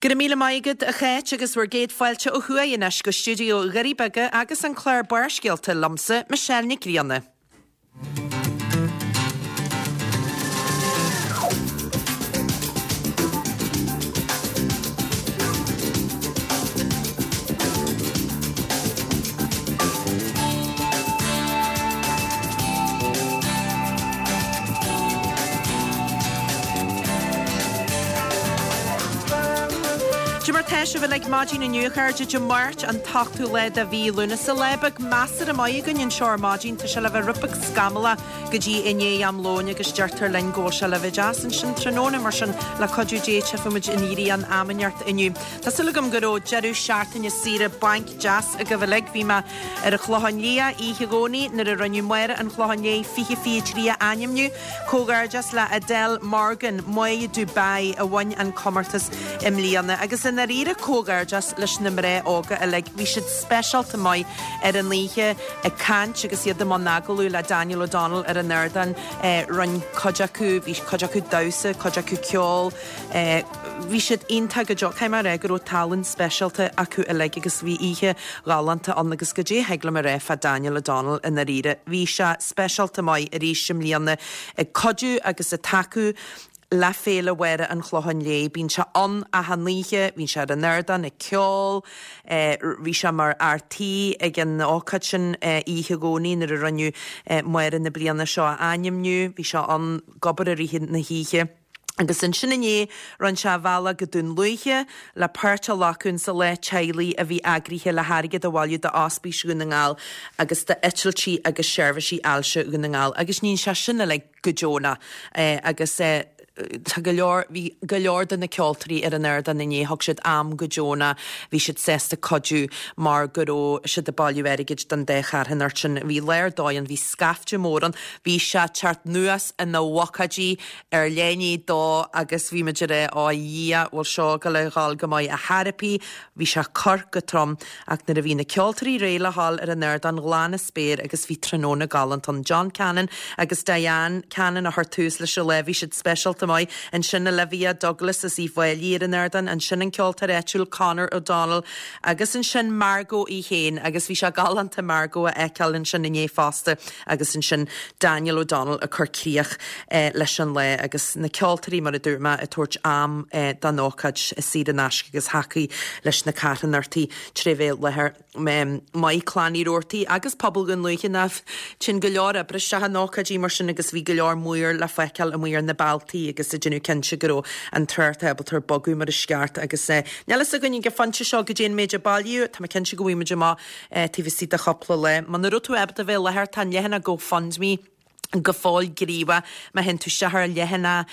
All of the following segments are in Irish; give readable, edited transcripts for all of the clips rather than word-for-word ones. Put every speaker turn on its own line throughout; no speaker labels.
Go raibh míle maith agat, a Cháit, agus bhur gcéad fáilte ó thuaidh anois go stiúideo Dhoirí Beaga agus an clár Barrscéalta liomsa, Michelle Nic Grianna. Cad é mar tá sibh uilig maidin inniu, a chairde, Dé Máirt an t-ochtú lá de mhí Lúnasa. Lá beag measartha maith againn anseo ar maidin. Tá sé le bheith rud beag scamallach go dtí i ndiaidh am lóin agus deirtear linn go bhfuil sé le bheith deas ansin tráthnóna, mar sin le cuidiú Dé tchífidh muid an ghrian am inteacht inniu. Tá súil agam go raibh deireadh seachtaine saoire bainc deas agaibh uilig. Bhí mé ar an Chlochán Liath oíche Dhomhnaigh nuair a rinneadh Máire an Chlocháin Léith 2023 a ainmniú. Comhghairdeas le Adele Morgan, Máire Dubai, a bhain an comórtas i mbliana. Agus i ndáiríre comhghairdeas leis na mná óga uilig. Bhí siad speisialta maith ar an oíche ag caint agus iad i mbun agallamh le Daniel O'Donnell ar an ardán. Rinne cuid acu, bhí cuid acu damhsa, cuid acu ceol. Bhí siad iontach go deo. Caithfidh mé a rá go raibh tallann speisialta acu uilig agus bhí oíche ghalánta ann agus goidé a thig liom a rá fá Daniel O'Donnell i ndáiríre. Bhí sé speisialta maith arís i mbliana ag cuidiú agus ag tacú le Féile Mháire an Chlocháin Léith. Bíonn sé ann achan oíche, bíonn sé ar an ardán ag ceol, bhí sé mar fhear tí ag an ócáid sin oíche Dhomhnaigh nuair a rinneadh Máire na bliana seo a ainmniú. Bhí sé ann ag obair i rith na hoíche. Agus ansin inné, rinne sé a bhealach go Dún Lúiche le páirt a ghlacadh insa lá teaghlaigh a bhí eagraithe le hairgead a bhailiú d'Ospís Dhún na nGall agus d'Eitiltí agus Seirbhísí Ailse Dhún na nGall. Agus níonn sé sin uilig go deonach. Agus tá go leor, bhí go leor de na ceoltóirí ar an ardán inné, thug siad am go deonach, bhí siad sásta cuidiú mar go raibh siad ag bailiú airgid don dá charthanacht sin. Bhí lá ar dóigh ann, bhí scaifte mór ann, bhí sé ag teacht anuas ina bhocáidí ar leath i ndiaidh a dó agus bhí muid ag rá, Ó a Dhia, bhfuil seo ag goil a dhul go maith ar chor ar bith, bhí sé ag cur go trom. Ach nuair a bhí na ceoltóirí réidh le dhul ar an ardán, ghlan an spéir agus bhí tráthnóna galánta ann. John Cannon agus Diane Cannon a chuir tús leis an lá, bhí siad speisialta maith. Ansin Olivia Douglas as Uíbh Fhailí ar an ardán, ansin an ceoltóir áitiúil Conor O'Donnell agus ansin Margot í féin agus bhí sé galánta Margot a fheiceáil ansin inné fosta. Agus ansin Daniel O'Donnell ag cur críoch leis an lá agus na ceoltóirí, mar a dúirt mé, ag tabhairt am don ócáid saor in aisce agus thacaigh leis na carthanachtaí tré bheith i láthair. Maith Clann Uí Robhartaigh agus pobal Dhún Lúiche nach téann go leor oibre isteach in ócáidí mar sin agus bhí go leor maor le feiceáil amuigh ar na bealtaí agus ag déanamh cinnte go raibh an trácht ábalta ar bogadh mar is ceart agus níl fhios againn ag an phointe seo goidé an méid a bailíodh, tá mé cinnte go bhfaighidh muid amach taobh istigh de chúpla lá. Muna raibh tú ábalta bheith i láthair, tá an leathanach GoFundMe go fóill gníomhach. Má théann tú isteach ar leathanach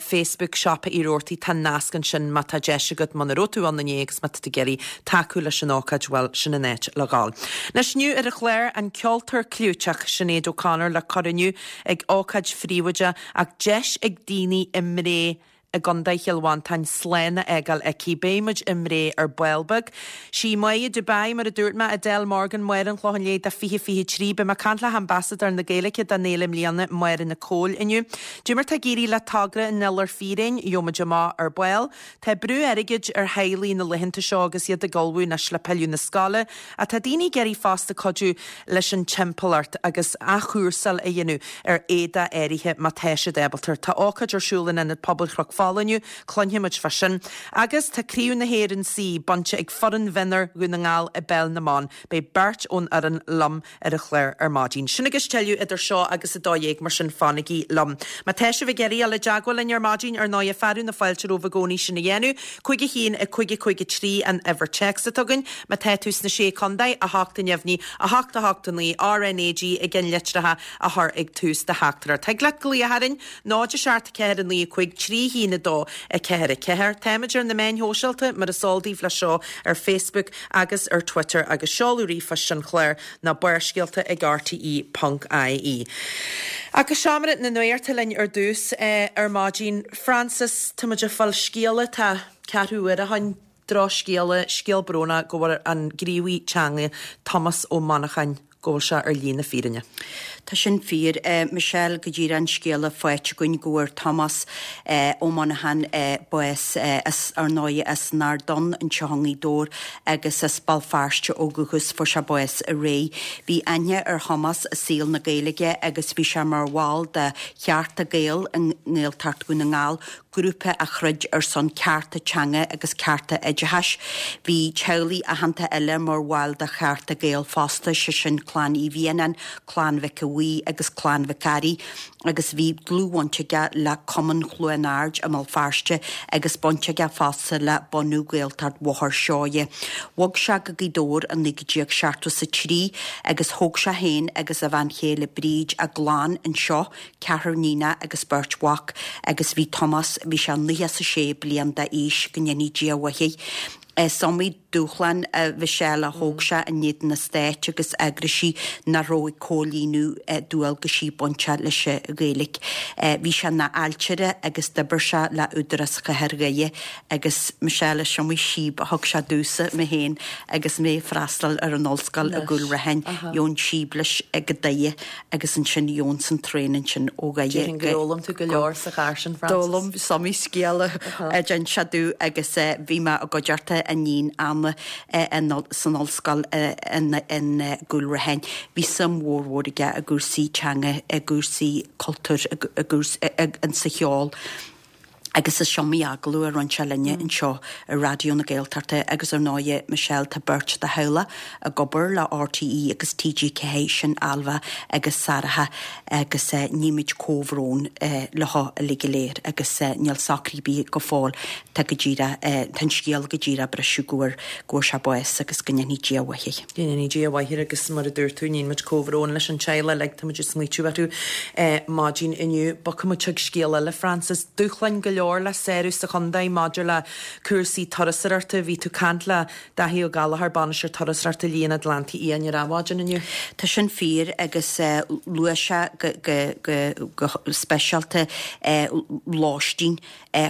Facebook Siopa Uí Robhartaigh, tá nasc ansin má tá deis agat, muna raibh tú ann inné agus má tá tú ag iarraidh tacú leis an ócáid, bhuel, sin an áit le dhul. Anois inniu ar an chlár, an ceoltóir clúiteach Sinéad O'Connor le cur inniu ag ócáid phríobháideach ach deis ag daoine i mBré i gContae Chill Mhantáin slán a fhágáil aici. Beidh muid i mBré ar ball beag. Sí Máire Dubai, mar a dúirt mé, Adele Morgan, Máire an Chlocháin Léith do 2023. Beidh mé ag caint le hAmbasadóir na Gaeilge don fhéile i mbliana, Máire Nic Cóil, inniu. Dé mar tá ag éirí le togra an Iolair Fíréin, gheobhaidh muid amach ar ball. Tá brú airgid ar theaghlaigh na laethanta seo agus iad ag ullmhú anois le pilleadh na scoile. Ach tá daoine ag iarraidh fosta cuidiú leis an timpeallacht agus athchúrsáil a dhéanamh ar éadach áirithe má tá siad ábalta. Tá ócáid ar siúl in Ionad Pobail Chnoc Fola inniu, cluinfidh muid fá sin. Agus tá Craobh na hÉireann C bainte ag foireann mhionúir Dhún na nGall i bPeil na mBan. Beidh beirt ón fhoireann liom ar an chlár ar maidin. Sin agus tuilleadh idir seo agus 12, mar sin fanaigí liom. Má tá sibh ag iarraidh dul i dteagmháil linn ar maidin, ar ndóighe, fearadh na fáilte romhaibh i gcónaí sin a dhéanamh. 5 1 5 5 3 an uimhir téacs atá againn. Má tá tú sna Sé Contae, 8 a neamhní, 8 8 9, RnaG i gceannlitreacha a chur ag tús do theachtaireacht. Thig leat glaoch orainn, 0 7 4 9 5 3 1 2 4 4. Táimid ar na meáin shóisialta, mar is eol daoibh leis seo, ar Facebook agus ar Twitter agus seoladh ríomhphoist an chláir ná barrscéalta ag rte ponc ie. Ach go seomra na nuachta linn ar dtús ar maidin. Frances, tá muid ag fáil scéala, tá ceathrú uaire ó shin, drochscéala, scéal brónach go bhfuil an gníomhaí teanga Tomás Ó Monacháin. go bhfuil sé ar shlí na fírinne.
Tá sin fíor, Michelle, go díreach an scéala faighte againn go bhfuair Tomás Ó Monacháin bás as, ar ndóigh, as an Ard Donn anseo i nGaoth Dobhair agus as Béal Feirste ó dhúchas, fuair sé bás aréir. Bhí aithne ar Thomás i saol na Gaeilge agus bhí sé mar bhall de Chearta Gael i nGaeltacht Dhún na nGall, grúpa a throid ar son cearta teanga agus cearta oideachais. Bhí teaghlaigh aitheanta eile mar bhaill de Chearta Gael fosta, sé sin Clann Uí Mhianáin, Clann Mhic a' Bhuí agus Clann Mhic Fhearraigh agus bhí dlúthbhaint aige le Cumann Chluain Ard i mBéal Feirste agus baint aige fosta le bunú Ghaeltacht Bhóthar Seoighe. Bhog sé go Gaoth Dobhair i 1973 agus thóg sé féin agus a bhean chéile Bríd a gclann anseo ceathrar níonacha agus beirt mhac agus bhí Tomás, bhí sé 96 bliain d'aois, go ndéanfaidh Dia a mhaith air. Is iomaí dúshlán, a Mhichelle, a thóg sé in éadan an stáit agus eagraisí nach raibh ag comhlíonadh dualgaisí bainteach leis an Ghaeilge. Bhí sé ina ailtire agus d'oibir sé le Údarás Chathair Dhoire agus, Michelle, is iomaí síob a thug sé domhsa, mé féin, agus mé ag freastal ar an ollscoil i gCúil Raithin, gheobhainn síob leis go Doire agus ansin gheobhainnse an traein ansin ó Dhoire
Déarfainn gur fhoghlaim tú go leor sa charr sin, Frances.
D'fhoghlaim, is iomaí scéal a d'inis sé domh agus bhí mé i gcuideachta a iníon Anna san ollscoil i gCúil Raithin. Bhí suim mhór mhór aige i gcúrsaí teanga, i gcúrsaí cultúir, i gcúrsaí, sa cheol. Agus is iomaí agallamh a rinne sé linne anseo ar Raidió na Gaeltachta agus ar ndóighe, Michelle, tá beirt dá theaghlach ag obair le RTÉ agus TG4, sin Ailbhe agus Sarah agus nímid comhbhrón leo uilig go léir agus níl socraithe ar bith go fóill, tá go díreach, tá an scéal go díreach ag briseadh go bhfuair, go bhfuair sé bás agus go ndéanfaidh Dia a mhaith air.
Go ndéanfaidh Dia a mhaith air agus mar a dúirt tú, níonn muid comhbhrón leis an teaghlach uilig, tá muid ag smaoitiú orthu maidin inniu. Bogfaidh muid chuig scéal eile, Frances. Dúshláin go leor le sárú sa chontae maidir le cúrsaí turasóireachta. Bhí tú ag caint le Dáithí Ó Gallchóir, Bainisteoir Turasóireachta Shlí an Atlantaigh Fhiáin ar Adhmhaidin inniu.
Tá sin fíor agus luaigh sé go speisialta lóistín,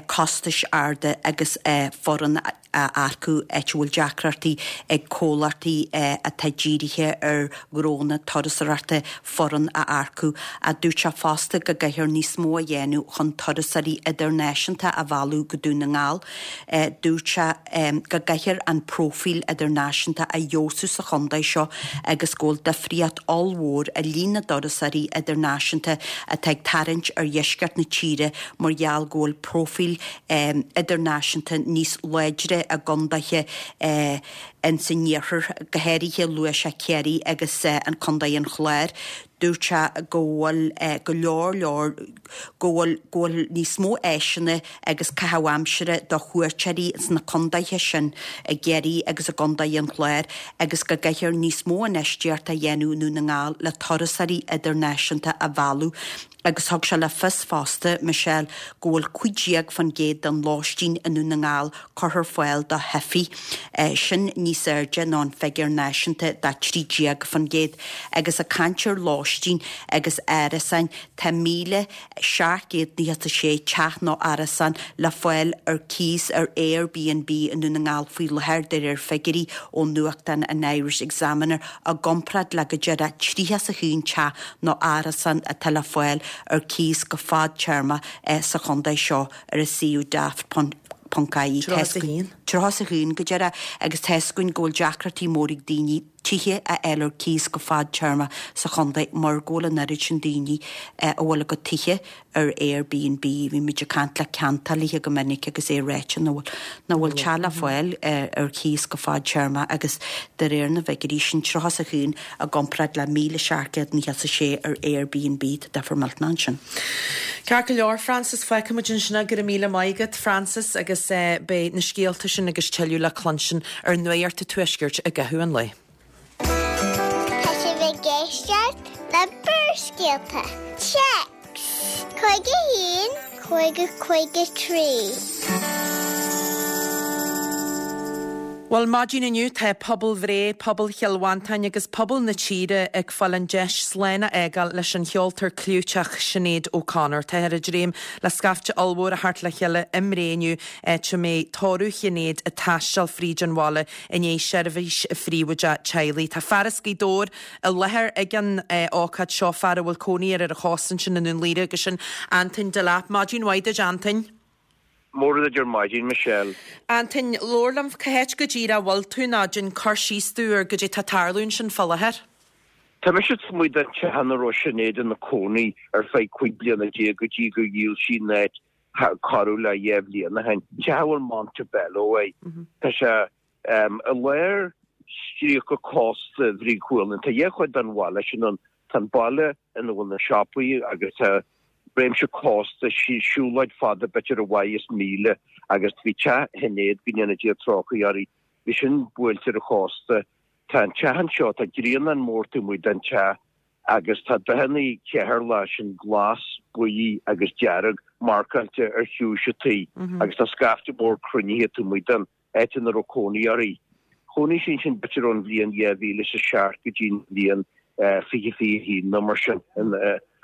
costais arda agus foireann a earcú, áit a bhfuil deacrachtaí ag comhlachtaí atá dírithe ar ghnónna turasóireachta foireann a earcú. Dúirt sé fosta go gcaithfear níos mó a dhéanamh chun turasóirí idirnáisiúnta a mhealladh go Dún na nGall. Dúirt sé go gcaithfear an próifíl idirnáisiúnta a fheabhsú sa chontae seo agus go bhfuil difríocht ollmhór i líon na dturasóirí idirnáisiúnta atá ag tarraingt ar dheisceart na tíre mar gheall go bhfuil próifíl idirnáisiúnta níos láidre i gcondaetha ins an iarthar, go háirithe luaigh sé Ciarraí agus an Contae an Chláir. Dúirt sé go bhfuil go leor leor, go bhfuil go bhfuil níos mó áiseanna agus caitheamh aimsire do chuairteoirí sna condaetha sin, i gCiarraí agus i gContae an Chláir, agus go gcaithfear níos mó infheistíochta a dhéanamh i nDún na nGall le turasóirí idirnáisiúnta a mhealladh. Agus thug sé le fios fosta, Michelle, go bhfuil 15% den lóistín i nDún na nGall curtha ar fáil do theifigh. Sin níos airde ná an figiúr náisiúnta de 13%. Agus ag caint ar lóistín agus árasáin, tá 1,796 teach nó árasán le fáil ar cíos ar Airbnb i nDún na nGall faoi láthair, de réir figiúirí ó nuachtán an Irish Examiner, i gcomparáid le go díreach 31 teach nó árasán atá le fáil ar cíos go fadtéarma sa chontae seo ar an suíomh daft ponc ie.
31.
31 go díreach agus tá 'fhios againn go bhfuil deacrachtaí mór ag daoine tithe a fháil ar cíos go fadtéarma sa chontae mar go bhfuil an oiread sin daoine a bhfuil a gcuid tithe ar Airbnb. Bhí muid ag caint le ceantálaithe go minic agus é ráite nach bhfuil, nach bhfuil teach le fáil ar chíos go fadtéarma agus de réir na bhfigiúirí sin, 31 i gcomparáid le 1,796 ar Airbnb, tá difear millteanach ansin.
Ceart go leor, Frances, fágfaidh muid ansin é. Go raibh míle maith agat, Frances, agus beidh na scéalta sin agus tuilleadh le cluinstin ar Nuacht an Tuaiscirt i gcaitheamh an lae.
Tá sibh ag éisteacht le Barrscéalta. Téacs 51 50 53.
Bhuel, maidin inniu tá pobal Bhré, pobal Chill Mhantáin agus pobal na tíre ag fáil an deis slán a fhágáil leis an cheoltóir clúiteach Sinéad O'Connor. Táthar ag dréim le scaifte ollmhór a theacht le chéile i mBré inniu, áit a mbeidh tórramh Shinéad ag taisteal fríd an bhaile i ndiaidh seirbhís phríobháideach teaghlaigh. Tá fear as Gaoth Dobhair i láthair ag an ócáid seo, fear a bhfuil cónaí air ar an chósta ansin i nDún Laoghaire agus sin Antoin Delap. Maidin mhaith duit, Antoin.
Mora duit ar maidin, Michelle.
Antoin, labhair liom, cá háit go díreach a bhfuil tú nó déan cur síos domh ar goidé tá ag tarlú ansin fá láthair.
Tá mise taobh amuigh den teach ina raibh Sinéad ina cónaí ar feadh 15 bliana go dtí gur dhíol sí an áit corradh le 2 bhliain ó shin. Teach a bhfuil Montebello air. Tá sé i lár stríoca cósta Bhrí Chualann. Tá dhá chuid den bhaile sin ann. Tá an baile ina bhfuil na siopaí agus tá réimse cósta, siúlóid fada b'fhéidir ar a mhaith is míle agus bhí teach Shinéad, go ndéana Dia trócaire uirthi, bhí sin buailte ar an chósta. Tá an teach anseo, tá grianán mór taobh amuigh den teach agus tá dathanna Cheatharlach, sin glas, buí agus dearg, marcáilte ar chiumhais an tí agus tá scaifte mór cruinnithe taobh amuigh den áit ina raibh cónaí uirthi. Chónaigh sí ansin b'fhéidir ón bhliain 2007 go dtí an bhliain 2021 nó mar sin, an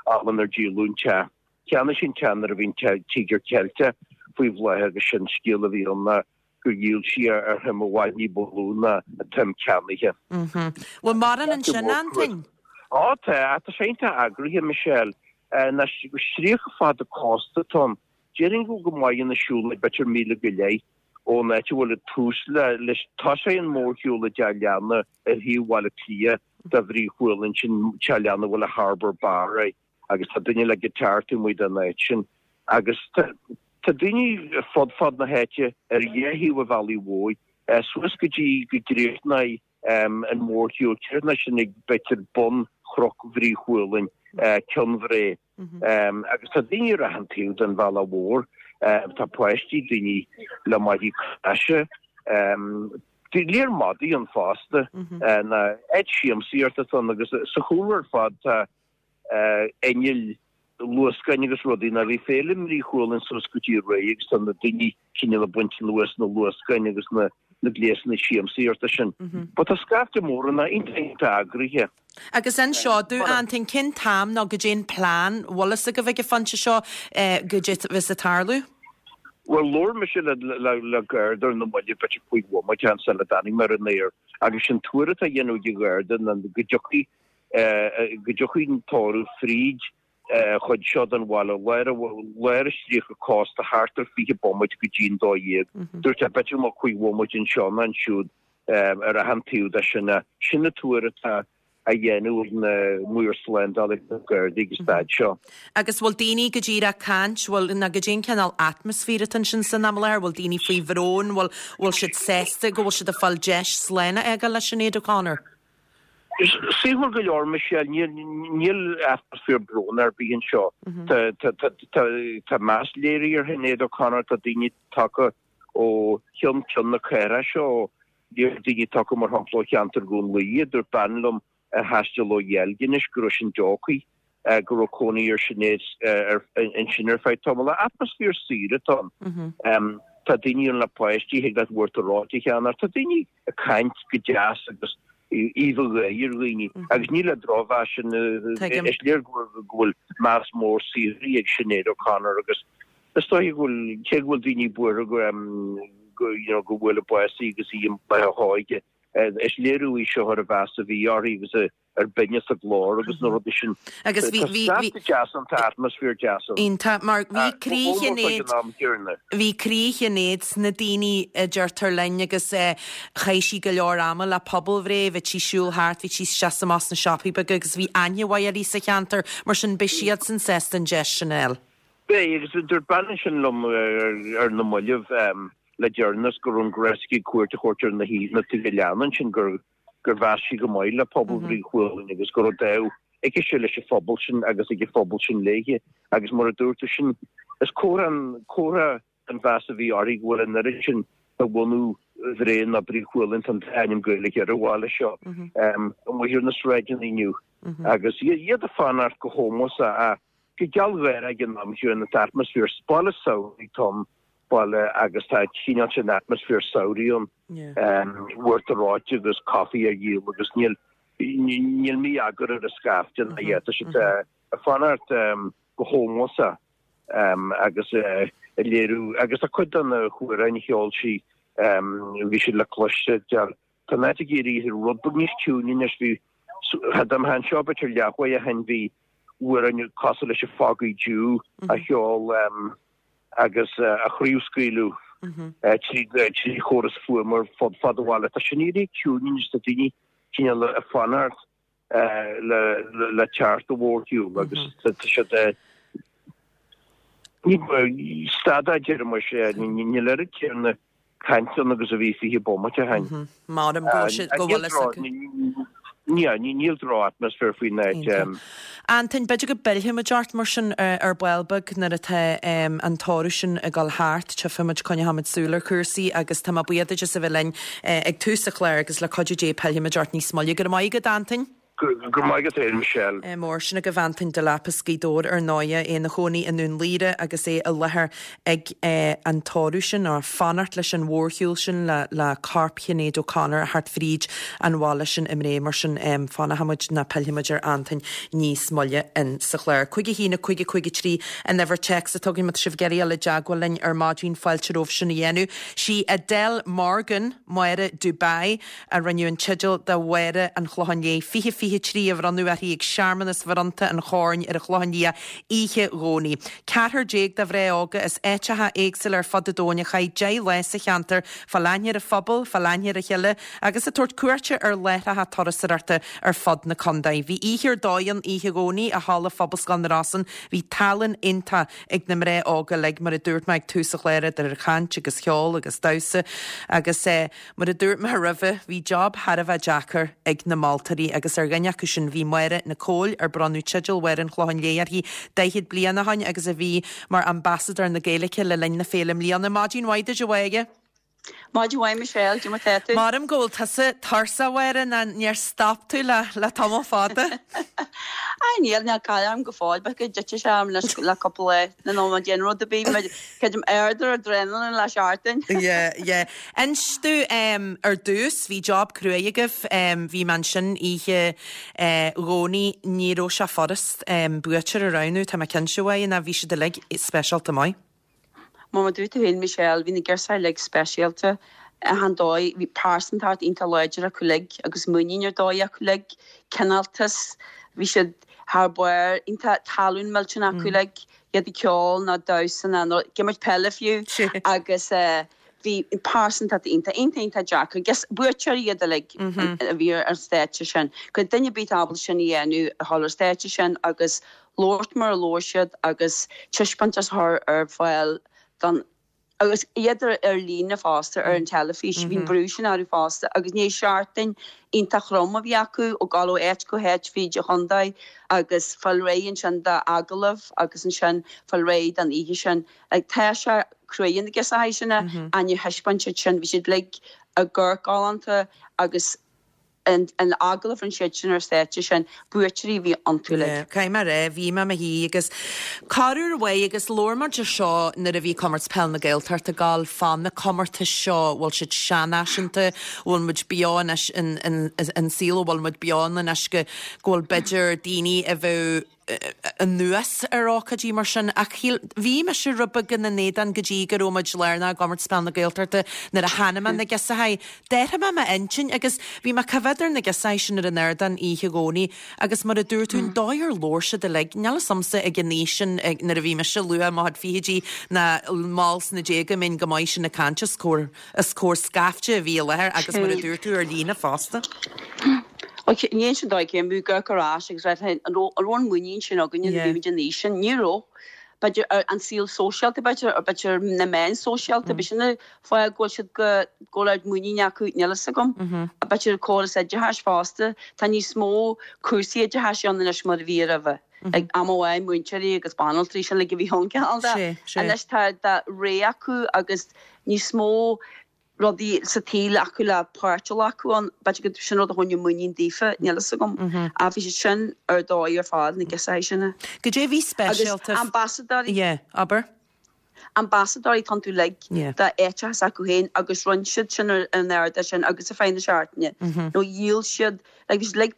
am inar díoladh an teach. Cheannaigh sí an teach nuair a bhí an Tíogar Ceilteach faoi bhláth agus sin scéal a bhí ann ná gur dhíol sí é ar shuim i bhfad ní ba lú ná an tsuim ceannaithe.
Bhfuil mórán ansin, Antoin?
Á tá, tá sé iontach eagraithe, Michelle. Ná stríoca fada cósta atá ann. Déarfainn go bhfuil go maith ina siúlóid b'fhéidir míle go leith ón áit a bhfuil an tús le, leis, tosaíonn an mórshiúl i dTeach Leanna ar thaobh Bhaile Átha Cliath de Bhrí Chualann, sin Teach Leanna a bhfuil an Harbour Bar air agus tá duine le guitar taobh amuigh den áit sin. Agus tá, tá daoine fud fad na háite ar dhá thaobh an bhealaigh mhóir, suas go dtí go gcríochnóidh an mórshiúl, críochnóidh sin ag b'fhéidir bun Chnoc Bhrí Chualann, Ceann Bhré. Agus tá daoine ar achan taobh den bhealach mhór, tá páistí, daoine le maidí claise, léar madaí ann fosta, ná áit siamsaíochta atá ann agus sa chúlra ar fad tá innill luascáin agus rudaí ná bhí féile i mBrí Chualann suas go dtí aréir agus tá na daoine cineál ag baint anuas na luascáin agus na gléasanna siamsaíochta sin. But tá scaifte mór ann, iontach iontach eagraithe.
Agus inis domh, Antoin, cén t-am nó goidé an plean, bhfuil fhios agaibh ag an phointe seo goidé a bheas ag tarlú?
Bhuel, labhair mise le Garda ar na mallaibh b'fhéidir 5 bhomaite ann sula dtáinig mé ar an aer agus sin tuar atá á dhéanamh ag an Gharda ná go dtiocfaidh go dtiocfaidh an tórramh fríd chuid seo den bhaile, lár an stríoca cósta thart ar 20 bomaite go dtí an 12. Dúirt sé b'fhéidir go mbeadh 5 bhomaite anseo nó ansiúd ar achan taobh de sin. Sin an tuar atá á dhéanamh ag na maoir slándála ag na Gardaí ag an staid seo.
Agus bhfuil daoine go díreach ag caint, bhfuil, nó goidé an cineál atmaisféar atá ansin san am i láthair, bhfuil daoine faoi bhrón, bhfuil, bhfuil siad sásta go bhfuil siad ag fáil deis slán a fhágáil le Sinéad O'Connor?
Saoithiúil go leor, Michelle, níl atmaisféar bróin ar bith anseo. Tá meas léirithe ar Shinéad O'Connor, tá daoine tagtha ó cheann ceann na cathrach seo, bhí daoine tagtha mar shampla ó cheantar Dhún Laoghaire, dúirt bean liom a thaistil ó Dheilginis go raibh sin deocaí, go raibh cónaí ar Sinéad ansin ar feadh tamaill. Atmaisféar saor atá ann. Tá daoine ann le páistí, thig leat uachtar reoite a cheannach, tá daoine ag caint go deas agus aoibh gháire ar dhaoine agus ní le drochmheas sin, is léir go bhfuil meas mór saothraithe ag Sinéad O'Connor agus is dóiche go bhfuil, cé go bhfuil daoine buartha go you know go bhfuair bás í agus í i mbláth a hóige, is léiriú í seo ar an mheas a bhí uirthi agus a ar binneas a glór agus na rudaí sin.
Agus bhí, bhí, bhí.
Tá deas ann, tá atmaisféar deas
ann. Iontach, mar bhí croí Shinéad, bhí croí Shinéad sna daoine a deirtear linn agus chaith sí go leor ama le pobal Bhré, bhí sí siúl thart, bhí sí isteach is amach sna siopaí beaga agus bhí aithne mhaith uirthi sa cheantar, mar sin beidh siadsan sásta an deis sin a fháil.
Beidh, agus dúirt bean ansin liom ar na mallaibh le deireanas go raibh an gnás aici cuairt a thabhairt ar na tithe leanna ansin gur gur mheas sí go maith le pobal Bhrí Chualann agus go raibh dáimh aici leis an phobal sin agus ag an phobal sin léithe agus mar a dúirt tú sin is comhartha an comhartha an mheas a bhí uirthi go bhfuil an oiread sin de bhunadh Bhré nó Brí Chualann tá an dá ainm Gaeilge ar an bhaile seo amuigh ar na sráideanna inniu agus iad ag fanacht go hómósach ach go gealgháireach ag an am chéanna tá atmaisféar baile samhraidh atá ann. baile agus tá cineál sin atmaisféar samhraidh ann. Uachtar reoite agus caife á dhíol agus níl níl mí-eagar ar an scaifte ná a dhath. Tá siad ag fanacht go hómósach agus ag léiriú agus tá cuid de na hamhráin a cheol sí bhí siad le cloisteáil. Tá an áit ag éirí rud beag níos ciúine anois. Bhí, dá mbeifeá anseo b'fhéidir leathuair ó shin bhí amhráin cosúil leis an Foggy Dew á cheol agus á chraobhscaoileadh trí chóras fuaime ar fud fad an bhaile. Tá sin éirithe ciúin anois, tá daoine cineál ag fanacht le teacht an mhórshiúil agus tá siad stad a deir mise, níl oiread céanna caint ann agus a bhí 20 bomaite ó shin.
Maram go bhfuil siad go bhfuil fhios acu.
Níl droch-atmaisféar faoin áit.
Antain, b'fhéidir go bpillfidh muid ort mar sin ar ball beag nuair atá an tórramh sin ag dul thart. Tchífidh muid, coinneoidh muid súil ar chúrsaí agus tá mé buíoch duit as a bheith linn ag tús an chláir agus le cuidiú Dé pillfidh muid ort níos moille. Go raibh maith agat, Antain.
Go raibh maith agat féin, Michelle.
Mór sin agaibh Antain Delap as Gaoth Dobhair ar ndóighe, é ina chónaí i nDún Laoghaire agus é i láthair ag an tórramh sin, nó fanacht leis an mhórshiúl sin le corp Shinéad O'Connor a theacht fríd an bhaile sin i mBré. Mar sin, fanfaidh muid nó pillfidh muid ar Antain níos moille in sa chlár. 5 1 5 5 3 an uimhir téacs atá againn má tá sibh ag iarraidh dul i dteagmháil linn ar maidin, fáilte romhaibh sin a dhéanamh. Sí Adele Morgan, Máire Dubai, a rinneadh an teideal de Mháire an Chlocháin Léith 2023 a bhronnadh uirthi ag searmanas bhronnta an Choirn ar an Chlochán Liath oíche Dhomhnaigh. Ceathrar déag de mhná óga as áiteacha éagsúla ar fud an domhain a chaith 10 lá sa cheantar, fáil aithne ar an phobal, fáil aithne ar a chéile agus ag tabhairt cuairte ar láithreacha turasóireachta ar fud na contae. Bhí oíche ar dóigh ann oíche Dhomhnaigh i Halla Phobalscoil na Rosann. Bhí tallann iontach ag na mná óga uilig, mar a dúirt mé ag tús an chláir, idir chaint agus cheol agus damhsa agus eh. Mar a dúirt mé roimhe, bhí job thar a bheith deacair ag na moltóirí agus ar dhuine acu sin bhí Máire Nic Cóil, ar bronnadh teideal Mháire an Chlocháin Léith uirthi 40 bliain ó shin agus a bhí mar Ambasadóir na Gaeilge le linn na féile i mbliana. Maidin mhaith duit, a Mháire.
Maidin mhaith, Michelle, cad é mar tá tú?
Maram go bhfuil tusa tuirseach, a Mháire, nó níor stop tú le le tamall fada.
Á níl, níl caill orm go fóill, b'fhéidir go dtitfidh sé orm anois le cúpla lá, nó má déanann rud ar bith, creidim ard ar adrenaline le seachtain.
Yeah, yeah. Inis domh ar dtús, bhí job cruaidh agaibh, bhí mé ansin oíche Dhomhnaigh, ní raibh sé furast buaiteoir a roghnú, tá mé cinnte uaidh, ná bhí siad uilig speisialta maith.
Mar a dúirt tú féin Michelle, bhí na girseachaí uilig speisialta achan dóigh, bhí pearsantacht iontach láidir acu uilig agus muinín ar dóigh acu uilig, cineáltas, bhí siad thar barr, iontach tallann millteanach acu uilig, iad ag ceol nó damhsa nó ag imirt peile fiú agus bhí pearsantacht iontach, iontach, iontach deacair. Agus buaiteoirí iad uilig a bhí ar an stáitse sin. Go raibh duine ar bith ábalta sin a dhéanamh, a dhul ar stáitse sin agus labhairt mar a labhair siad agus taispeántas a chur ar fáil don agus iad ar líne fosta ar an teilifís. Bhí an brú sin orthu fosta agus ní seachtain iontach throm a bhí acu ag dul ó áit go háit fríd an chontae agus fáil réidh ansin d'agallaimh agus ansin fáil réidh don oíche sin. Like tá sé cruaidh na girseachaí sin ach níor thaispeáin siad sin. Bhí siad uilig ag amharc galánta agus an agallamh a rinne siad sin ar stáitse sin, buaiteoirí a bhí iontu uilig.
Caithfidh mé a rá, bhí mé i mo shuí agus corruair amháin agus labhair muid ar seo nuair a bhí Comórtas Peil na Gaeltachta ag gabháil fá na comórtais seo, bhfuil siad seanfhaiseanta, bhfuil muid beo anois in in saol a bhfuil muid beo ann anois go go bhfuil b'fhéidir daoine a bheadh anuas ar ócáidí mar sin ach shíl, bhí mise rud beag ina n-éadan go dtí go raibh muid lárnach i gComórtas Peil na Gaeltachta nuair a chonaic mé na girseachaí. D'athraigh mé m'intinn agus bhí mé ag coimhéad ar na girseachaí sin ar an ardán oíche Dhomhnaigh agus mar a dúirt tú, an dóigh ar labhair siad uilig, níl 'fhios a'msa ag an aois sin nuair a bhí mise luath i mo chuid fichidí ná mall sna déaga mbeinn go maith sin ag caint os comhair Os comhair scaifte a bhí i láthair agus mar a dúirt tú ar líne fosta.
Ok, ní sin dóigh cé mbeadh amharc ar ais agus rá an raibh an muinín sin againne nuair a bhí muid an aois sin? Ní raibh. B'fhéidir an saol sóisialta b'fhéidir, or b'fhéidir na meáin sóisialta, b'shin an fáth go bhfuil siad go go bhfuil ard muinín acu, níl fhios agam. B'fhéidir córas oideachais fosta, tá níos mó cúrsaí oideachais ann anois mar a bhí roimhe. Ag am amháin múinteoirí agus banaltraí sin uilig a bhí ann cineál de. Anois tá de rogha acu agus níos mó rudaí sa tsaol acu le páirt a ghlacadh ann. B'fhéidir go sin rud a choinnigh muinín daofa, níl fhios agam. Ach bhí siad sin ar dóigh ar fad, na girseachaí sin.
Goidé a bhí speisialta.
Agus ambasadóirí.
Yeah, abair.
Ambasadóirí atá iontu uilig d'áiteacha s'acu féin agus rinne siad sin ar an ardán sin agus ar feadh na seachtaine. Nó dhíol siad, like bhí siad uilig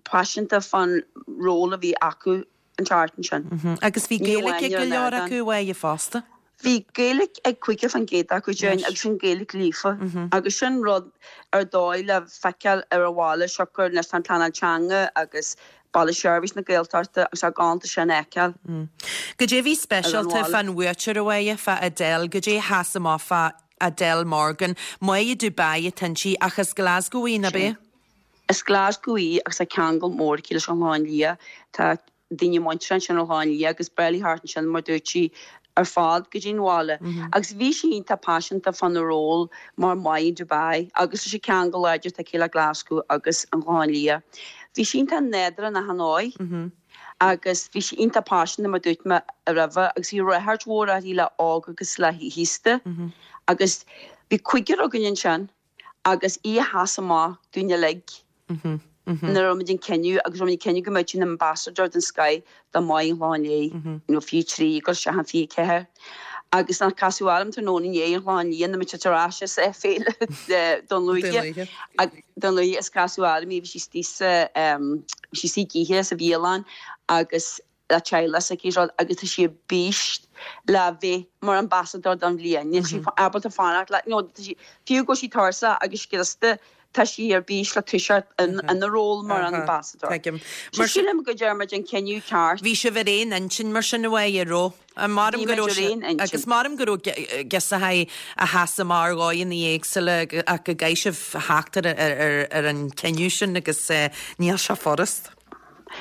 paiseanta fán ról a bhí acu an tseachtain
sin. Agus bhí Gaeilge ag go leor acu uaidh fosta.
Bhí Gaeilge ag 50% acu déarfainn agus sin Gaeilge líofa agus sin rud ar dóigh le feiceáil ar an bhaile siocair anois tá an pleanáil teanga agus Baile Seirbhís na Gaeltachta agus tá galánta sin a fheiceáil.
Goidé a bhí speisialta fán bhuaiteoir a Mháire, fá Adele, goidé a sheas amach fá Adele Morgan. Máire Dubai atá inti ach as Glasgow í, nach ea?
As Glasgow í agus tá ceangal mór aici leis an Chlochán Liath. Tá daoine muinteartha ansin ar an Chlochán Liath agus ba bhreá léi theacht ansin mar dúirt sí ar fad go dtí an bhaile. Agus bhí sí iontach paiseanta fána ról mar Mháire Dubai agus leis an ceangal láidir atá aici le Glasgow agus an Clochán Liath. Bhí sí iontach nádúrtha in achan dóigh agus bhí sí iontach paiseanta mar dúirt mé roimhe agus bhí ráchairt mhór uirthi le óg agus le haosta agus bhí cúigear againn ansin. agus í a sheas amach dúinn uilig nuair a rinne muid an cinneadh agus rinne muid an cinneadh go mbeadh sí ina ambassador den scoith do Mháire an Chlocháin Léith, you know, 23 ag dul isteach in 24. Agus nuair a casadh orm tráthnóna inné ar an Chlochán Liath nuair muid ar ais as Féile Dún Lúiche, Dún Lúiche is casadh orm í, bhí sí istigh sa, bhí sí istigh ag ithe sa bhialann agus le teaghlach s'aici is rud agus tá sí ar bís le bheith mar ambassador don bhliain. Níl sí ábalta fanacht le, you know, tá sí, fiú go bhfuil sí tuirseach agus scriosta, tá sí ar bís le toiseacht ina ról mar ambassador.
Tuigim.
So sílim go ndearna muid an cinneadh ceart.
Bhí sibh ar aon intinn mar sin a Mháire, an raibh?
Bhí muid ar aon intinn.
Agus maram go raibh giosachaí a sheas amach ar dhóigheanna éagsúla ach go gcaithfidh sibh theacht ar an cinneadh sin agus níl sé furast.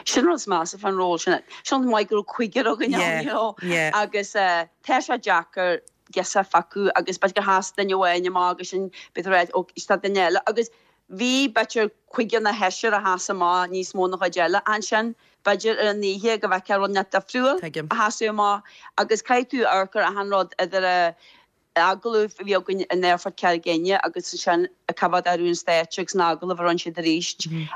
Sin rud is measa fán ról sin. Sin rud maith go raibh cúigear againn ann, you know. Agus tá sé deacair girseach a phiocadh agus b'fhéidir gur sheas duine amháin amach agus sin b'fhéidir ráit ó tá duine eile. Agus bhí b'fhéidir cúigear nó seisear a sheas amach níos mó ná chuid eile ansin. B'fhéidir ar an oíche go bhfeicfeá rud inteacht difriúil a sheasadh amach agus caithfidh tú amharc ar achan rud idir a agallamh a bhí againn in Aerfort Charraig Fhinne agus ansin cá fhad a raibh an stáitse agus an agallamh a rinne siad arís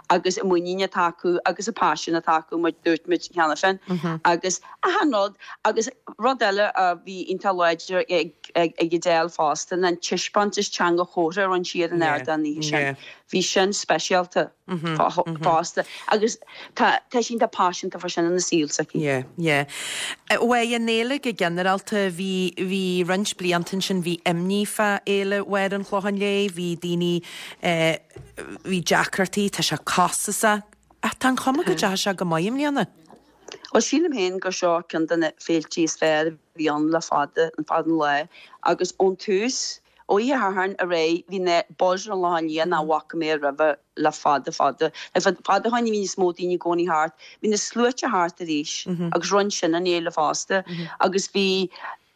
agus an muinín atá acu agus an paisean atá acu mar dúirt muid cheana féin agus achan rud agus rud eile a bhí iontach láidir ag Adele fosta ná an taispeántas teanga chomhartha a rinne sí ar an ardán an oíche sin. Bhí sin speisialta. fosta agus tá tá sí iontach paiseanta fá sin ina saol s'aici.
Yeah, yeah. Bhuel, an fhéile go ginearálta, bhí, bhí roinnt blianta ansin, bhí imní fá Fhéile Mháire an Chlocháin Léith, bhí daoine, eh, bhí deacrachtaí, tá sé costasach, ach tá an chuma go dteachaidh sé go maith i mbliana.
Bhuel, sílim féin gur seo ceann de na féiltí is fearr a bhí ann le fada, an fada an lá, agus ón tús, Ó oíche Shathairn ar aghaidh bhí an buzz ar an Chlochán Liath nach bhfaca mé roimhe le fada fada. Le fada ó shin bhí níos mó daoine i gcónaí thart. Bhí na sluaite thart arís agus rinne sin an fhéile fosta agus bhí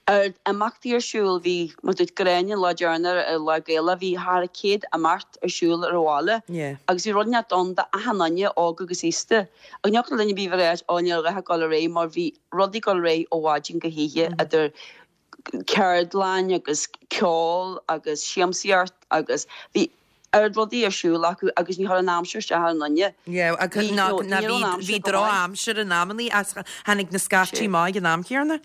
oiread imeachtaí ar siúl. Bhí, mar dúirt Gráinne an lá deireanach ar Lá Gaelach, bhí thar 100 imeacht ar siúl ar an bhaile agus bhí rud inteacht ann d'achan duine, óg agus aosta. Agus ní thiocfadh le duine ar bith a bheith ag ráit, ó níl a dhath ag dul ar aghaidh mar bhí rudaí ag dul ar aghaidh ó mhaidin go hoíche idir ceardlann agus ceol agus siamsaíocht agus bhí oiread rudaí ar siúl acu agus ní chuir an aimsir isteach ar aon duine.
Yeah, agus Bhí, ná, you know, ná ní raibh an bhí, aimsir bhí go maith. drochaimsir in amannaí ach tháinig na scaití amach ag an am chéanna.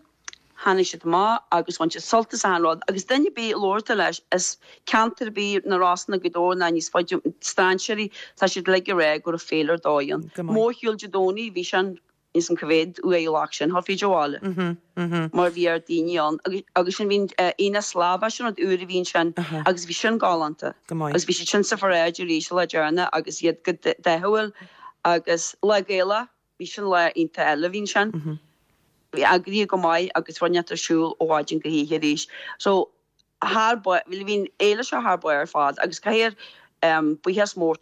Tháinig siad amach agus bhain siad sult as achan rud agus duine ar bith a labhair tú leis as ceantar ar bith, na Rosanna, Gaoth Dobhair ná níos faide, strainséirí, tá siad uilig ag rá go raibh féile ar dóigh ann. Go maith. Mórshiúl Dé Domhnaigh, bhí sin Níl 's a'm cá mhéad uaidh an loch sin, thar fríd an bhaile mar bhí oiread daoine ann agus sin bhí Aonach Slavach sin rud úr a bhí ansin agus bhí sin galánta agus bhí siad sin sa pharáid arís an lá deireanach agus iad go dathúil agus Lá Gaelach bhí sin lá iontach eile a bhí ansin. Bhí eagraithe go maith agus rud inteacht ar siúl ó mhaidin go hoíche arís. So thar barr, bhí an fhéile seo thar barr ar fad agus caithfear buíochas mór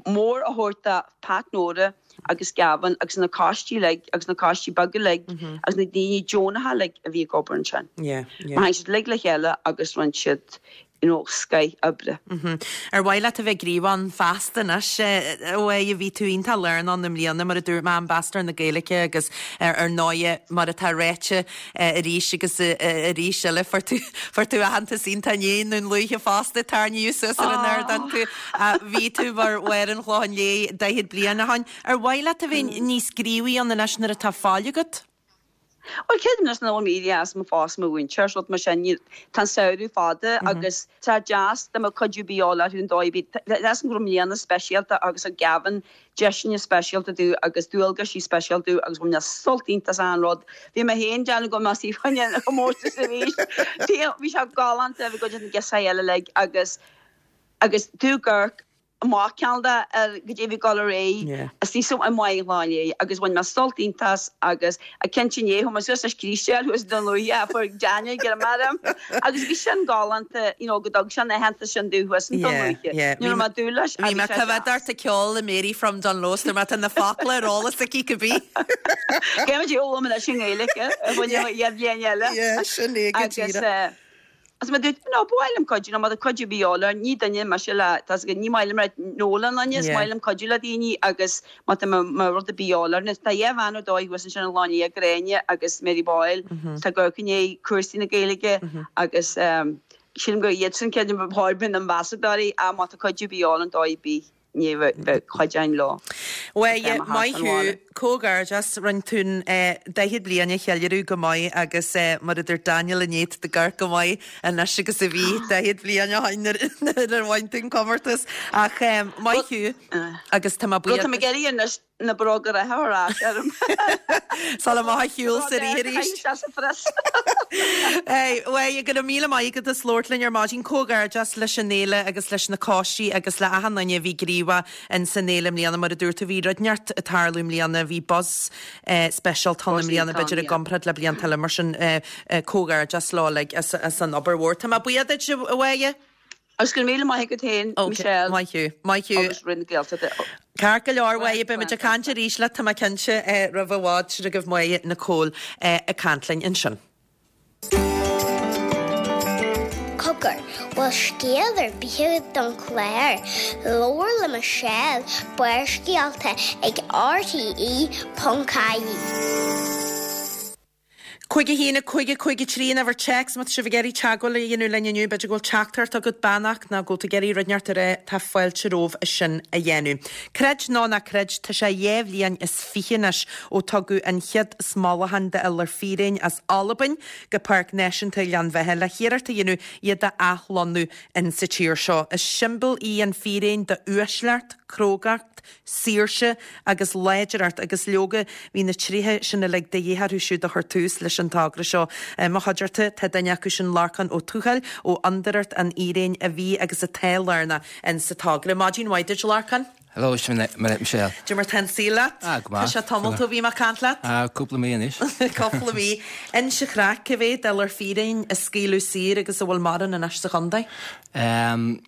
mór a thabhairt do Pat Nóra agus Gavin agus na coistí uilig agus na coistí beaga uilig agus na daoine deonacha uilig a bhí ag obair ansin. Mar tháinig siad uilig le chéile agus rinne siad you know scoith oibre.
Ar mhaith leat a bheith gníomhach ann feasta anois? A Mháire, bhí tú iontach lárnach ann i mbliana, mar a dúirt mé, Ambasadóir na Gaeilge agus ar ndóighe, mar atá ráite arís agus arís eile, fuair tú, fuair tú aitheantas iontach inné i nDún Lúiche fosta, tarraingíodh suas ar an ardán tú. Bhí tú mar Mháire an Chlocháin Léith 40 bliain ó shin. Ar mhaith leat a bheith níos gníomhaí ann anois nuair atá fáil agat?
Bhuel, creidim anois nach bhfuil mé éirithe as mo phost mar mhúinteoir, rud mar sin, níl, tá an samhradh fada agus tá deas dá mbeadh cuidiú ar bith de dhíobháil orthu an dóigh ar bith. Tá a fhios agam go raibh mbliana speisialta agus thug Gavin deiseanna speisialta domh agus dualgaisí speisialta domh agus bhain mé sult iontach as achan rud. Bhí mé féin ag déanamh go mbeadh sí fá choinne an chomórtais arís. Bhí sé galánta, bhí cuid de na girseachaí eile uilig agus agus tú ag amharc amach ceann de ar goidé a bhí ag dul ar aghaidh istigh i mBaile an Chláir agus bhain mé sult iontach as agus cinnte inné chuaigh mé suas leis Críostéil thuas i Dún Lúiche fuair Daniel grma orm agus bhí sin galánta you know go dtug sé an aitheantas sin domh thuas in Dún Lúiche. Ní raibh mé ag dúil leis ach
Bhí
bhí
mé
sé
coimhéad
deas.
ort ag ceol le Mary from Dunluce mar tá na focla ar eolas aici cibé.
Caithfidh muid foghlaim anois i nGaeilge a bhain le bliain eile.
Yeah, sin é go
Agus
díreach.
Agus mar a dúirt mé, no, ba mhaith liom cuidiú, nó má tá cuidiú ar bith de dhíobháil orm, ní duine mise le, tá 's agat, ní maith liom rá no le duine, is maith liom cuidiú le daoine agus má tá má rud ar bith de dhíobháil orm. Tá dhá bhean ar dóigh thuas ansin i Gleann Liath, Gráinne agus Mary Boyle, tá ag amharc i ndiaidh cúrsaí na Gaeilge agus sílim gur iadsan ceann de na hambasadóirí ach má tá cuidiú ar bith de dhíobháil an dóigh ar bith. ní bheadh cuideáin leo.
Bhuel, maith thú, comhghairdeas, rinne tú an 40 bliain a cheiliúradh go maith agus mar a dúirt Daniel inné, tá tú ag amharc go maith anois agus a bhí 40 bliain ó shin nuair a bhain tú an comórtas. Ach maith thú agus tá mé buíoch.
Tá mé ag iarraidh anois na bróga reatha ar ais orm.
Sula mbeadh a shiúl sa rith arís. Bhuel, go raibh míle maith agat as labhairt linn ar maidin. Comhghairdeas leis an fhéile agus leis na coistí agus le achan duine a bhí gníomhach in san fhéile i mbliana. Mar a dúirt tú, bhí rud inteacht ag tarlú i mbliana, bhí buzz speisialta ann i mbliana, b'fhéidir i gcomparáid le blianta eile. Mar sin, comhghairdeas leo uilig as an obair mhór. Tá mé buíoch duit, a Mháire.
Agus go raibh míle maith agat féin, Michelle.
Maith thú. Maith thú.
Agus Roinn na Gaeltachta.
Ceart go leor, a Mháire, beimid ag caint arís leat, tá mé cinnte, roimh i bhfad. Sin agaibh Máire Nicole ag caint linn ansin.
Cogar, bhfuil scéal ar bith agat don chlár? Labhair le Michelle, Barrscéalta ag RTE.ie.
5 1 5 5 3 an uimhir téacs má tá sibh ag iarraidh teagmháil a dhéanamh linn inniu. B'fhéidir go bhfuil teachtaireacht agat, beannacht nó go bhfuil tú ag iarraidh rud inteacht a rá, tá fáilte romhaibh é sin a dhéanamh. Creid nó ná creid, tá sé dhá bhliain is fiche anois ó tugadh an chéad smolachán d'iolar fíréin as Albain go Páirc Náisiúnta Ghleann Bheatha le hiarracht a dhéanamh iad a athlonnú in sa tír seo. Is siombail í an fíréan d'uaisleacht, crógacht, saoirse agus láidreacht agus leoga bhí na tréithe sin uilig de dhíth orthu siúd a chuir tús leis an togra seo. I mo chuideachta tá duine acu sin, Lorcán Ó Tuathail ó Fhondúireacht an Fhíréin a bhí agus atá lárnach in sa togra. Maidin mhaith duit, Lorcán.
Hello, Michelle.
Cad é mar tá an saol leat?
Ah, go maith.
Tá sé tamalt ó bhí mé ag caint leat.
Ah, cúpla mí anois.
Cúpla mí. Inis an chraic, cá mhéad iolar fíréin a scaoileadh saor agus an bhfuil mórán anois sa chontae?
Um,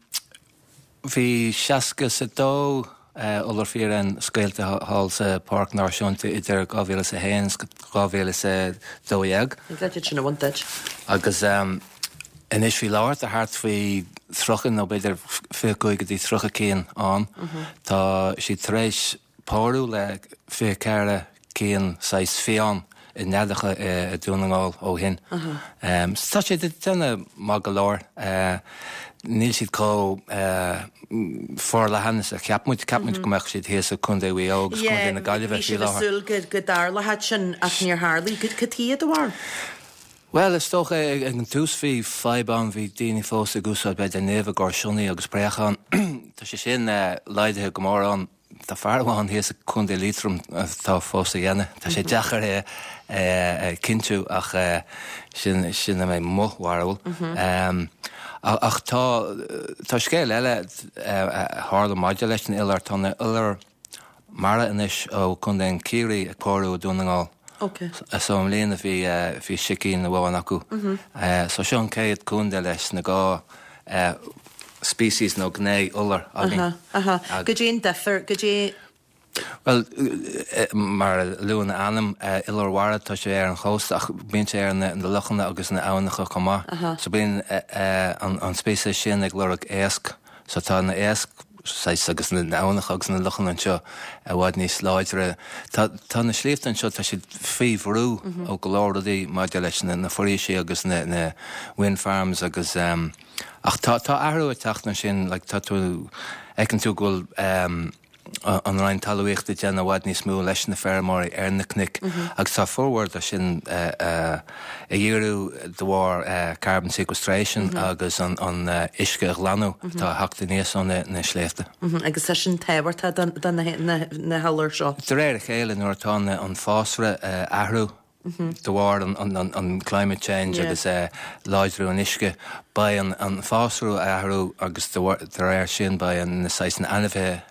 Bhí 62 iolar fíréan scaoilte thall sa Pháirc Náisiúnta idir 2001 's 2012.
Ní gá duit sin a bhaint duit.
Agus anois faoi láthair tá thart faoi 30 nó b'fhéidir 25 go dtí 30 cinn ann. Tá siad tar éis pórú le 24 cinn saghas fiáin i neadacha i Dún na nGall ó shin. So tá siad ag déanamh maith go leor. Níl siad chomh forleathan is a cheap muid. Cheap muid go mbeadh siad thíos i Contae Mhaigh Eo agus Contae na Gaillimhe
faoi láthair. Bhí
siad
ag súil go dtarlódh sin ach níor tharlaigh. Cad chuige i do bharúil?
Bhuel, is dócha ag an tús bhí fadhb ann, bhí daoine fós ag úsáid b'fhéidir nimh i gcomhair sionnaigh agus préachán. Tá sé sin laghdaithe go mór ann. Tá fear amháin thíos i Contae Liatroim atá fós á dhéanamh. Tá sé deacair é a chinntiú ach sin sin é mo bharúil. Ach tá tá scéal eile a tharla maidir leis an iolar. Tá na iolair mara anois ó Chontae an Chiarraí ag pórú i Dún na nGall.
Ok.
So i mbliana bhí bhí sicín amháin acu. So seo an chéad contae leis na dhá species nó gné iolar againn.
Aha, aha. Goidé an difear, goidé.
Bhuel, mar a luann a ainm, iolar mhara, tá sé ar an chósta ach bíonn sé ar na lochanna agus na abhannacha chomh maith. So bíonn an speiceas sin ag lorg éasc. So tá na éasc saghas agus na abhannacha agus na lochanna anseo i bhfad níos láidre. Tá tá na sléibhte anseo tá siad faoi bhrú ó go leor rudaí maidir leis na na foraoisí agus na na wind farms agus ach tá tá athrú ag teacht ansin like tá tú fheiceann tú go bhfuil. an Roinn Talmhaíochta ag déanamh i bhfad níos mó leis na feirmeoirí ar na cnoic agus tá formhór de sin a dhíriú de bharr carbon sequestration agus an uisce a ghlanadh atá ag theacht aníos ó na sléibhte.
Agus tá sin tábhachtach do na hiolair seo.
De réir a chéile nuair atá an fásra ag athrú de bharr an climate change agus láidriú an uisce, beidh an fásra ag athrú agus de réir sin beidh na saghas ainmhithe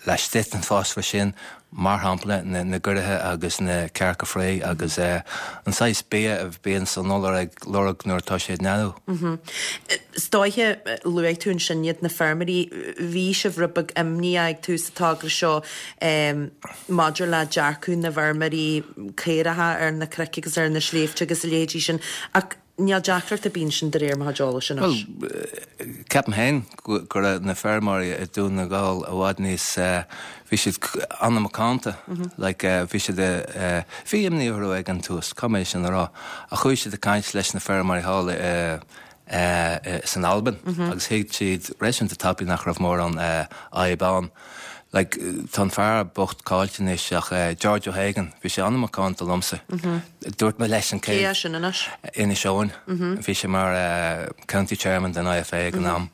laistigh den fásra sin, mar shampla na giorriacha agus na cearca fraoigh agus an saghas bia a bhíonn an iolar ag lorg nuair atá sé ag neadú.
Is dóiche, luaigh tú ansin iad na feirmeoirí, bhí sibh rud beag imníoch ag tús an togra seo maidir le dearcadh na bhfeirmeoirí caoracha ar na cnoic agus ar na sléibhte agus a leithéidí sin ach níl deacracht ar bith ansin de réir mo chuid eolais
anois. Bhuel, ceapaim féin go raibh na feirmeoirí i Dún na nGall i bhfad níos, bhí siad an-mhacánta, like bhí siad, bhí imní orthu ag an tús, caithfidh mé sin a rá, ach chuaigh siad ag caint leis na feirmeoirí thall i san Albain agus thuig siad réasúnta tapaidh nach raibh mórán fadhb ann. Like, tá an fear bocht caillte anois ach George O'Hagan, bhí sé an-mhacánta liomsa. Dúirt mé leis an
chéad. Cé é sin anois?
Inis Eoghain. Bhí sé mar County Chairman den IFA ag an am.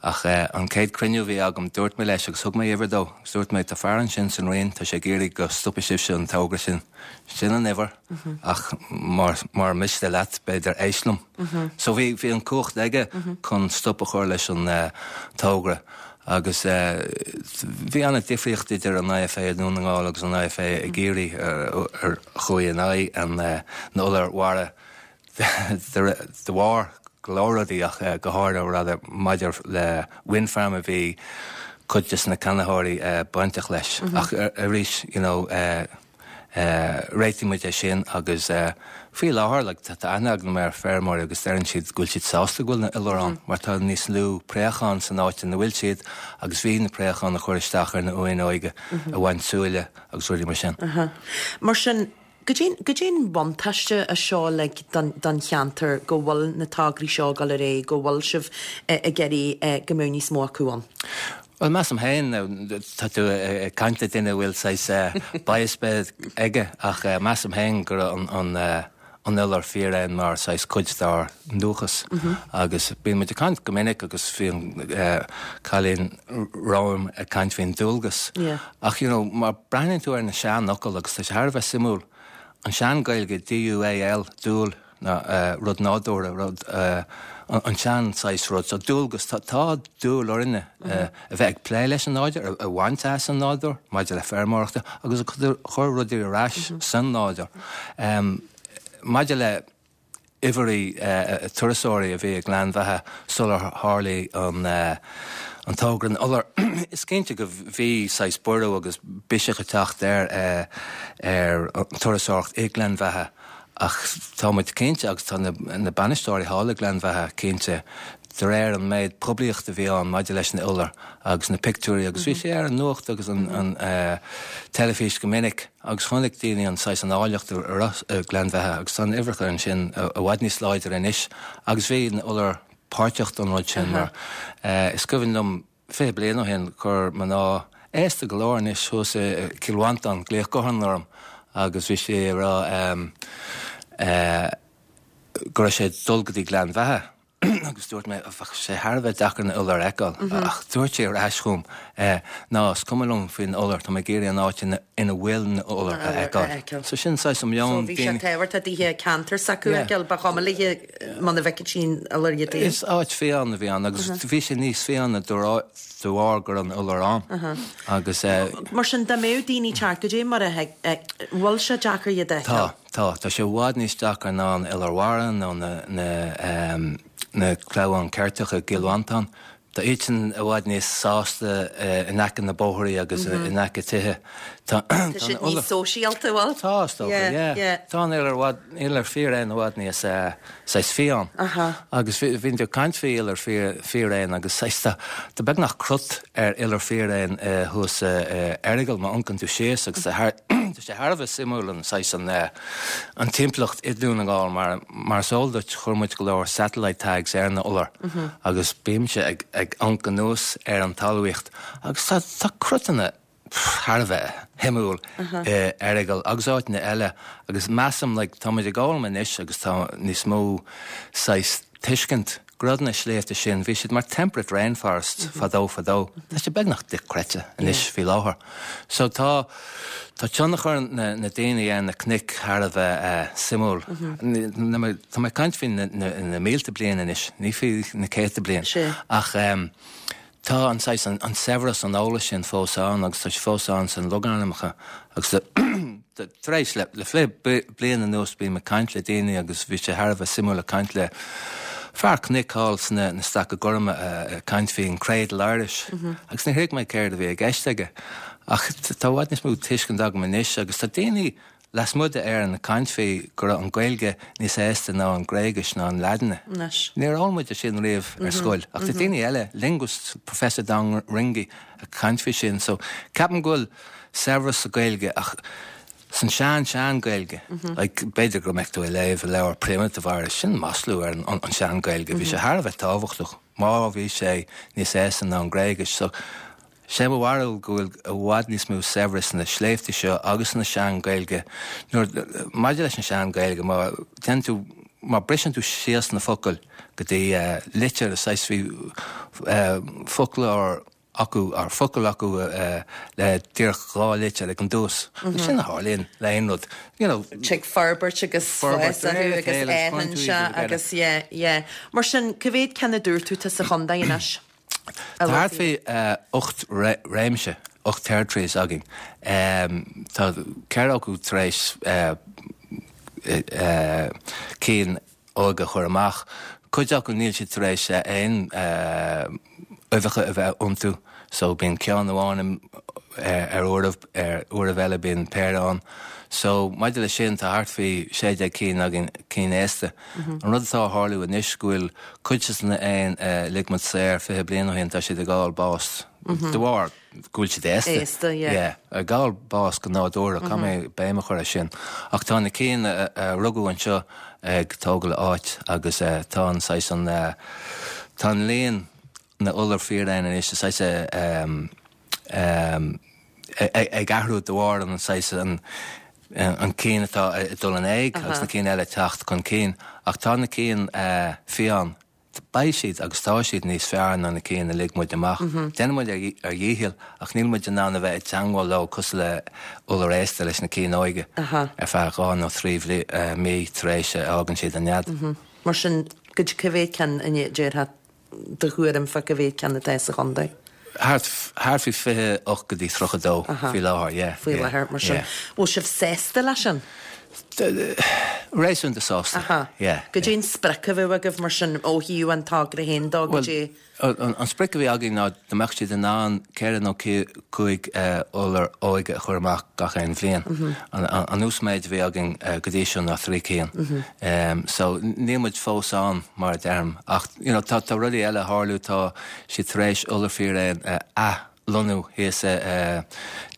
Ach an chéad cruinniú a bhí agam, dúirt mé leis agus thug mé uimhir dó agus dúirt mé, tá fear ansin san Roinn, tá sé ag iarraidh go stopfaidh sibhse an togra sin. Sin an uimhir. Ach mura miste leat, b'fhéidir éist liom. So bhí bhí an cumhacht aige chun stop a chur leis an togra agus bhí an-difríocht idir an IFA i nDún na nGall agus an IFA i gCiarraí ar chuaigh in aghaidh an na iolair mhara de bharr go leor rudaí ach go háirithe rather maidir le wind farm a bhí cuid de na ceannaitheoirí bainteach leis. Ach arís, you know, Réitigh muid é sin agus faoi láthair like tá aithne agam ar feirmeoirí agus deireann siad go bhfuil siad sásta go bhfuil na iolair ann mar tá níos lú préachán san áit ina bhfuil siad agus bhí na préacháin ag cur isteach ar na uain óga ag baint súile agus rudaí mar sin.
Mar sin, goidé an buntáiste é seo like don don cheantar go bhfuil na tograí seo ag dul ar aghaidh, go bhfuil sibh ag iarraidh go mbeadh níos mó acu ann?
Bhuel, measaim féin, tá tú ag caint le duine a bhfuil saghas bias beag aige, ach measaim féin go raibh an an iolar fíréan mar saghas cuid dár ndúchas. Agus bíonn muid ag caint go minic agus bhí an cailín romham ag caint faoin dualgas. Ach you know, má breathnaíonn tú ar na seanfhocail, agus tá sé thar a bheith suimiúil, an sean-Ghaeilge DUAL, dúil, ná rud nádúrtha, rud, an sean saghas rud. So dualgas, tá, tá dúil orainne a bheith ag plé leis an nádúr, a bhaint as an nádúr maidir le feirmeoireachta agus ag cur rudaí ar ais san nádúr. Maidir le uimhreacha turasóirí a bhí i nGleann Bheatha sular tharlaigh an an togra na n-iolar, is cinnte go bhí saghas borradh agus biseach ag teacht ar ar an turasóireacht i nGleann Bheatha. Ach tá muid cinnte, agus tá na bainisteoirí thall i nGleann Bheatha cinnte, de réir an méid poiblíochta a bhí ann maidir leis na iolair agus na pictiúirí agus bhí sé ar an nuacht agus an teilifís go minic agus chonaic daoine an saghas an áilleacht a raibh i nGleann Bheatha agus tá na uimhreacha ansin i bhfad níos láidre anois agus bhí na iolair páirteach don rud sin mar is cuimhin liom 20 bliain ó shin, chuir mná aosta go leor anois thuas i gCill Mhantáin glaoch gutháin orm agus bhí sí ag rá go raibh sé ag dul go dtí Gleann Bheatha agus dúirt mé bheadh sé thar a bheith deacair na iolair a fheiceáil ach dúirt sí ar ais chugam ná is cuma liom faoin iolar, tá mé ag iarraidh an áit ina bhfuil na iolair a fheiceáil. So sin saghas an meon.
So bhí sé tábhachtach daoithe ceantar s'acu a fheiceáil, ba chuma léi muna bhfeicfeadh sí an iolar iad
féin. Is áit fiáin a bhí ann agus bhí sé níos fiáine de bharr go raibh an iolar ann agus.
Mar sin, dá mbeadh daoine teacht goidé mar a bhfuil sé deacair iad a
fheiceáil? Tá, tá. Tá sé i bhfad níos deacair ná an iolar mhara nó na na clamháin ceirteacha i gCill Mhantáin. Tá iadsan i bhfad níos sásta in aice na bóithrí agus in aice tithe.
Tá siad níos sóisialta, bhfuil?
Tá, is dócha, yeah. Tá an iolar i bhfad, iolar fíréan i bhfad níos saghas fiáin. Agus bhí tú ag caint faoi iolar fíréan agus saghas tá, tá beagnach crot ar iolar fíréan thuas i Errigal má amharcann tú síos agus tá sé thar a bheith suimiúil an saghas an an timpeallacht i nDún na nGall mar mar is eol duit chuir muid go leor satellite tags ar na iolair agus bímse ag ag amharc anuas ar an talmhaíocht agus tá tá crotanna. thar a bheith shuimiúil i Errigal agus áiteanna eile agus measaim like tá muid ag foghlaim anois agus tá níos mó saghas tuiscint go raibh na sléibhte sin, bhí siad mar temperate rainforests fadó fadó. Tá sé beagnach dochreidte anois faoi láthair. So tá tá tionchar na na daoine ar na cnoic thar a bheith suimiúil. Tá mé ag caint faoi na na mílte bliain anois, ní faoi na céadta bliain. Ach Tá an saghas, an saibhreas an eolais sin fós ann agus tá sé fós ann sna logainmneacha agus tar éis le le bliain anuas bím ag caint le daoine agus bhí sé thar a bheith suimiúil ag caint le fear cnoic thall sna na Staice Gorma ag caint faoin Cradle Irish agus níor thuig mé céard a bhí i gceist aige ach tá i bhfad níos mó tuiscint agam anois agus tá daoine Lasmuigh d'Éirinn ag caint faoi go raibh an Ghaeilge níos aosta ná an Ghréigis ná an Laidin. Níor fhoghlaim muid é sin riamh ar scoil. Ach tá daoine eile, linguists, Professor Don Ringie ag caint faoi sin. So ceapaim go bhfuil saibhreas sa Ghaeilge ach san sean sean Gaeilge. Like b'fhéidir go mbeadh tú ag léamh leabhar Primitive Irish, sin maslú ar an sean Gaeilge. Bhí sé thar a bheith tábhachtach má bhí sé níos aosta ná an Ghréigis. So Sé mo bharúil go bhfuil i bhfad níos mó saibhreas sna sléibhte seo agus sna sean-Ghaeilge. Nuair, maidir leis an sean-Ghaeilge, má déanann tú, má briseann tú síos na focail go dtí litir, saghas bhí foclóir acu, or focal acu le díreach 2 litir ag an dtús. Sin a tharlaíonn le aon rud, you know.
Tig forbairt agus fás orthu agus fásann sé agus yeah, yeah. Mar sin, cá mhéad ceann a dúirt tú atá sa chontae anois?
Tá thart faoi 8 réimse, 8 territories againn. Tá 4 acu tar éis cinn óga a chur amach. Cuid acu níl siad tar éis aon uibheacha a bheith iontu so bíonn ceann amháin ar uairibh, ar uairibh eile bíonn péire ann. So maidir leis sin tá thart faoi 16 cinn againn, cinn aosta. An rud atá a tharlú anois go bhfuil cuid de na éin a lig muid saor 20 bliain ó shin tá siad ag fháil bás de bharr go bhfuil siad aosta.
Aosta, yeah.
Yeah, ag fháil bás go nádúrtha, caithfidh mé béim a chur ar sin. Ach tá na cinn a rugadh anseo ag tógáil áit agus tá an saghas an tá an líon na n-iolar fíréan anois saghas ag athrú de bharr an saghas an an cinn atá ag dul in éag agus na cinn eile ag teacht chun cinn. Ach tá na cinn fiáin, beidh siad agus tá siad níos fearr ná na cinn a lig muid amach. Déanann muid ár ndícheall ach níl muid in ann a bheith i dteangmháil leo cosúil le iolar aosta leis na cinn óige ar feadh 2 nó 3 mí tar éis a fhágann siad an nead.
Mar sin, cá mhéad ceann a déarfá do thuairim fá cá mhéad ceann atá sa chontae?
Thart, thart faoi 28 go dtí 32 faoi láthair, yeah.
Faoi láthair, mar sin. Bhfuil sibh sásta leis sin?
Réasúnta sásta, yeah.
Goidé an sprioc a bheadh agaibh mar sin ó thaobh an togra féin dó, goidé?
An sprioc a bhí againn ná dá mbeadh siad in ann 4 nó 5 iolar óige a chur amach gach aon bhliain. An uasmhéid a bhí againn go dtí seo ná 3 cinn. So níl muid fós ann mar a deirim ach you know tá rudaí eile ag tarlú, tá siad tar éis iolar fíréan a athlonnú thíos i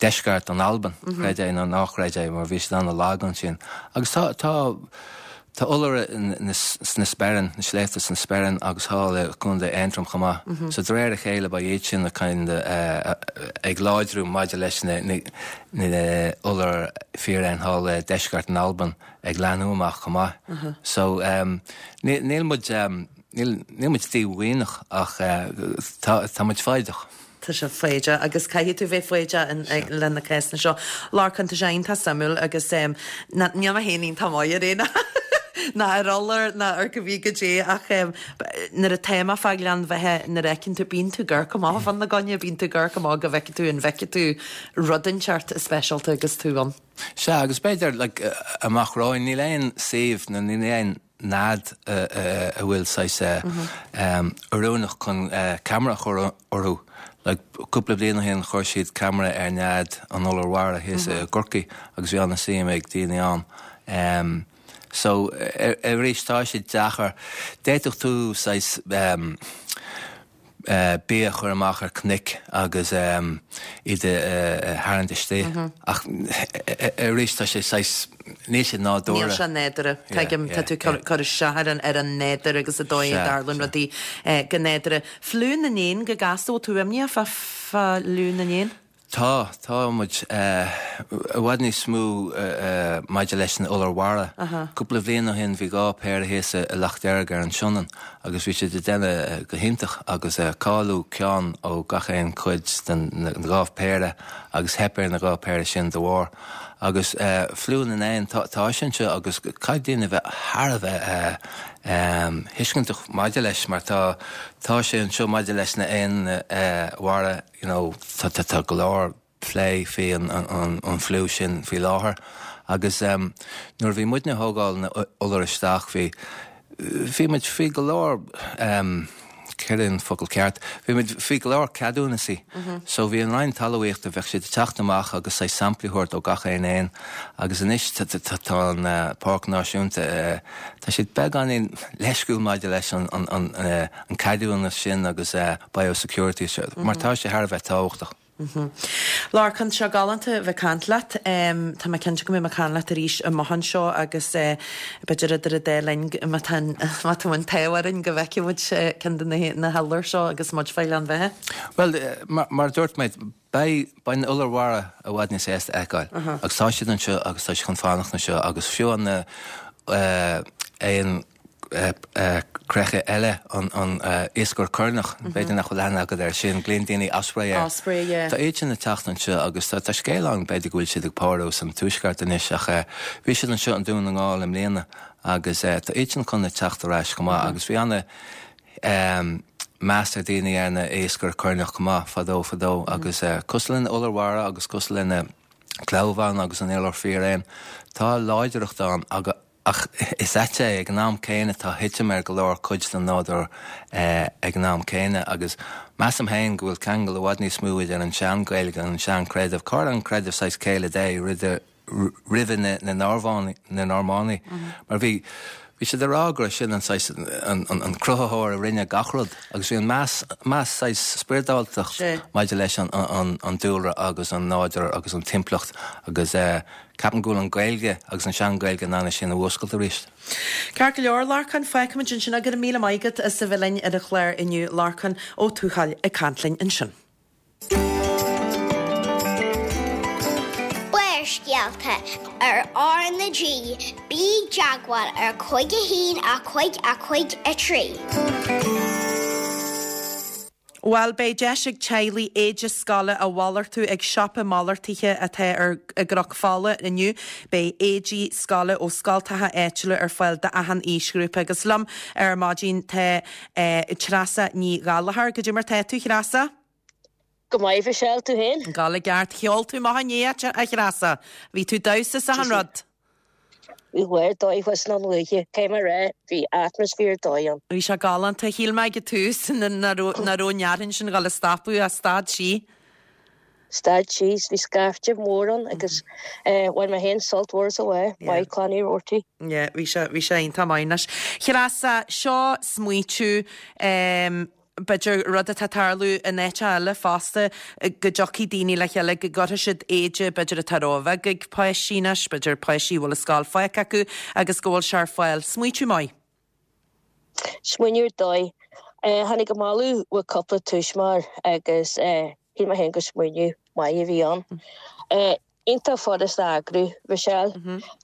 deisceart an Albain, creid é nó ná creid é mar bhí siad an-lag ansin. Agus tá tá Tá iolair sna Sperrin, na sléibhte sna Sperrin agus thall i gContae Aontroim chomh maith. So de réir a chéile beidh iad sin kind ag láidriú maidir leis na iolair fíréan thall i deisceart na Alban ag leathnú amach chomh maith. So níl muid níl muid díomhaoineach ach tá muid foighdeach.
Tá sé foighdeach agus caithfidh tú bheith foighdeach le na cásanna seo. Lorcán, tá sé iontach suimiúil agus níl mé féin iontach maith ar éin ná ar iolar ná ar go bhí goidé ach nuair atá mé fá Ghleann Bheatha nuair a fheiceann tú, bíonn tú ag amharc amach fá na gcoinne, bíonn tú ag amharc amach go bhfeicfidh tú an bhfeicfidh tú rud inteacht speisialta agus tú ann.
Sea, agus b'fhéidir like amach romhainn níl aon suíomh nó níl aon nead a bhfuil saghas oiriúnach chun ceamara a chur orthu. Like cúpla bliain ó shin chuir siad ceamara ar nead an iolair mhara thíos i gCorcaigh agus bhí an-suim ag daoine ann. So arís tá sé deacair. D'fhéadfadh tú saghas bia a chur amach ar cnoic agus iad a tharraingt istigh. Ach arís tá sé saghas, níl sé nádúrtha.
Níl sé nádúrtha. Tuigim, tá tú ag cur isteach ar an ar an nádúr agus an dóigh a dtarlaíonn rudaí go nádúrtha. Fliú na n-éan go gasta, bhfuil tú imníoch fá fliú na n-éan?
Tá, tá muid i bhfad níos mó maidir leis an iolar mhara. Cúpla bhliain ó shin bhí 2 péire thíos i Loch Deirg ar an Sionainn agus bhí siad ag déanamh go hiontach agus cailleadh ceann ó gach aon chuid den na 2 péire agus theip ar na 2 péire sin de bharr. Agus fliú na n-éan, tá, tá sé anseo agus caithfidh daoine a bheith thar a bheith thuisceantach maidir leis mar tá, tá sé anseo maidir leis na éin mhara. you know tá tá tá go leor plé faoi an an an fliú sin faoi láthair agus em nuair a bhí muidne ag thógáil na iolair isteach bhí bhí muid faoi go leor em céard é an focal ceart bhí muid faoi go leor ceadúnasaí so bhí an Roinn Talmhaíochta bheadh siad ag teacht amach agus saghas samplaí a thabhairt ó gach aon éan agus anois tá tá tá an Páirc Náisiúnta eh tá siad beagáinín leisciúil maidir leis an an an eh an ceadúnas sin agus biosecurity mar tá sé thar a bheith tábhachtach.
Lorcán, tá sé galánta a bheith ag caint leat. Tá mé cinnte go mbeidh mé ag caint leat arís amach anseo agus b'fhéidir idir an dá linn má tá má tá an t-ádh orainn go bhfeicfidh muid ceann de na hiolair seo agus muid fá Ghleann Bheatha.
Bhuel, mar a dúirt mé, beidh beidh na iolair mhara i bhfad níos éasca a fheiceáil agus tá siad anseo agus tá siad chun fanacht anseo agus fiú an éan creiche eile, an iascaire coirneach, b'fhéidir nach bhfuil aithne agat air sin, glaonn daoine osprey air.
Osprey, yeah.
Tá iad sin ag teacht anseo agus tá scéal ann, b'fhéidir go bhfuil siad ag pórú san tuaisceart anois ach bhí siad anseo i nDún na nGall i mbliana agus tá iad sin chun a teacht ar ais chomh maith agus bhí ana meas ag daoine ar na iascaire coirneach chomh maith fadó fadó agus cosúil lena iolar mhara agus cosúil lena clamhán agus an iolar fíréan, tá láidreacht ann agus Ach is ait é, ag an am céanna tá thitim ar go leor cuid den nádúr ag an am céanna agus measaim féin go bhfuil ceangal i bhfad níos mó idir an sean-Ghaeilge agus an sean-chreideamh. Cá raibh an creideamh saghas Céile Dé roimhe na Normánaigh mar bhí bhí siad ag rá go raibh sin an saghas an cruthaitheoir a rinne gach rud agus bhí an meas meas saghas spioradáltacht maidir leis an dúlra agus an nádúr agus an timpeallacht agus Ceapaim go bhfuil an Ghaeilge agus an sean-Ghaeilge in ann é sin a fhuascailt arís.
Ceart go leor, Lorcán, fágfaimid ansin é. Go raibh míle maith agat as a bheith linn ar an chlár inniu, Lorcán Ó Tuathail ag caint linn ansin.
Barrscéalta ar R na G, bí i dteagmháil ar 5 1 5 5 3.
Bhuel, beidh deis ag teaghlaigh éide scoile a mhalartú ag siopa malartaithe atá ar i gCnoc Fola inniu. Beidh éidí scoile ó scoltacha áitiúla ar fáil d'achan aoisghrúpa. Agus liom ar maidin tá Treasa Ní Ghallchóir. Goidé mar tá tú, Threasa?
Go maith, Michelle, tú féin?
Ag gabháil i gceart. Cheol tú maith inné, a Threasa. Bhí tú ag damhsa is achan rud.
Bhí lá dóigh thuas na luaithe, cé mar é, bhí atmaisféar dóigh ann.
Bhí sé galánta. Shíl mé ag an tús nach raibh an fhearthainn sin ag gabháil a stopadh ach stad sí.
Stad sí, bhí scaifte mór ann agus bhain mé féin sult mhór as an lá, Maith Clann Uí Rabhartaigh.
Yeah, bhí sé, bhí sé iontach maith anois. Threasa, seo smaoitiú b'fhéidir, rud atá ag tarlú in áiteacha eile fosta, go dtiocfaidh daoine le chéile, go gcuirfidh siad éide, b'fhéidir atá róbheag ag páistí anois, b'fhéidir páistí a bhfuil an scoil fágtha acu agus go bhfuil sé ar fáil. Smaoitiú maith.
Smaoineamh ar dóigh. Tháinig an moladh ó cúpla tuismitheoir agus shíl mé féin gur smaoineamh maith a bhí ann. Iontach furasta a eagrú, Michelle.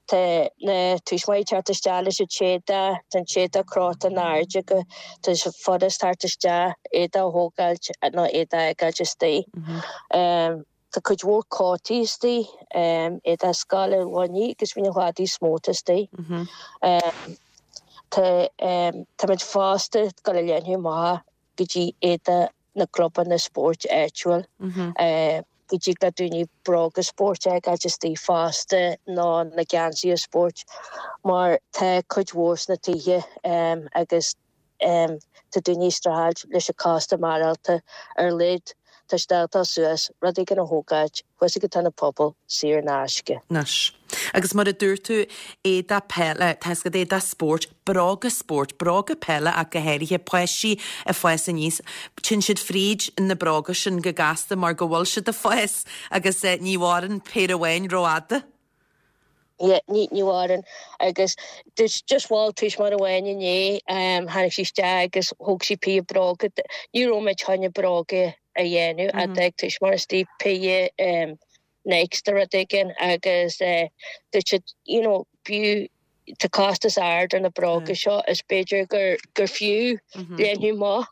Tá na tuismitheoirí ag teacht isteach leis an t-éadach, tá an t-éadach crochta in airde acu, tá sé furast teacht isteach, éadach a thógáilt nó éadach a fhágáilt istigh. Tá cuid mhór cótaí istigh, éadach scoile, gloiní agus bhí na cladaí is mó atá istigh. Tá, táimid fosta ag dul a leathnú amach go dtí éadach na gclubanna spóirt áitiúil, go dtig le daoine bróga spóirt a fhágáilt istigh fosta nó na geansaithe spóirt mar tá cuid mhór sna tithe agus tá daoine ag streachailt leis an costas maireachtála ar a laghad tá siad ábalta dul suas, rud éigin a thógáilt thuas ag an Ionad Pobail saor in aisce.
Anois. Agus mar a dúirt tú, éadach peile, tá 'fhios agat, éadach spóirt, bróga spóirt, bróga peile ach go háirithe, páistí ag fás aníos, téann siad fríd na bróga sin go gasta mar go bhfuil siad ag fás agus ní mhaireann péire amháin rófhada.
Yeah, ní, ní mhaireann. Agus just mhol tuismitheoir amháin inné, tháinig sí isteach agus thóg sí péire bróga, ní raibh muid chun na bróga. a dhéanamh atá ag tuismitheoirí istigh péire Nikes nó rud éigin agus dúirt siad you know b'fhiú tá costas ard ar na bróga seo is b'fhéidir gur gur fiú leathnú amach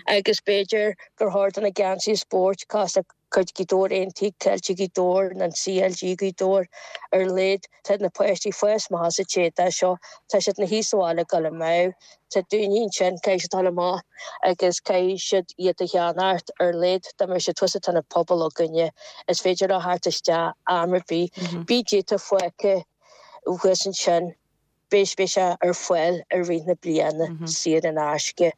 agus b'fhéidir gur chóir do na geansaithe spóirt cosúil le cuid Ghaoth Dobhair Aontaithe, Ceiltigh Ghaoth Dobhair nó an CLG Gaoth Dobhair ar a laghad tá na páistí ag fás amach sa t-éadach seo, tá siad ina shuí sa bhaile ag dul amú, tá daoine ansin caithfidh siad dul amach agus caithfidh siad iad a cheannacht ar a laghad dá mbeadh siad thuas sa tionad pobail againne is féidir leo theacht isteach am ar bith, bíodh giota fágtha thuas ansin. Beidh beidh sé ar fáil i rith na bliana, saor in aisce.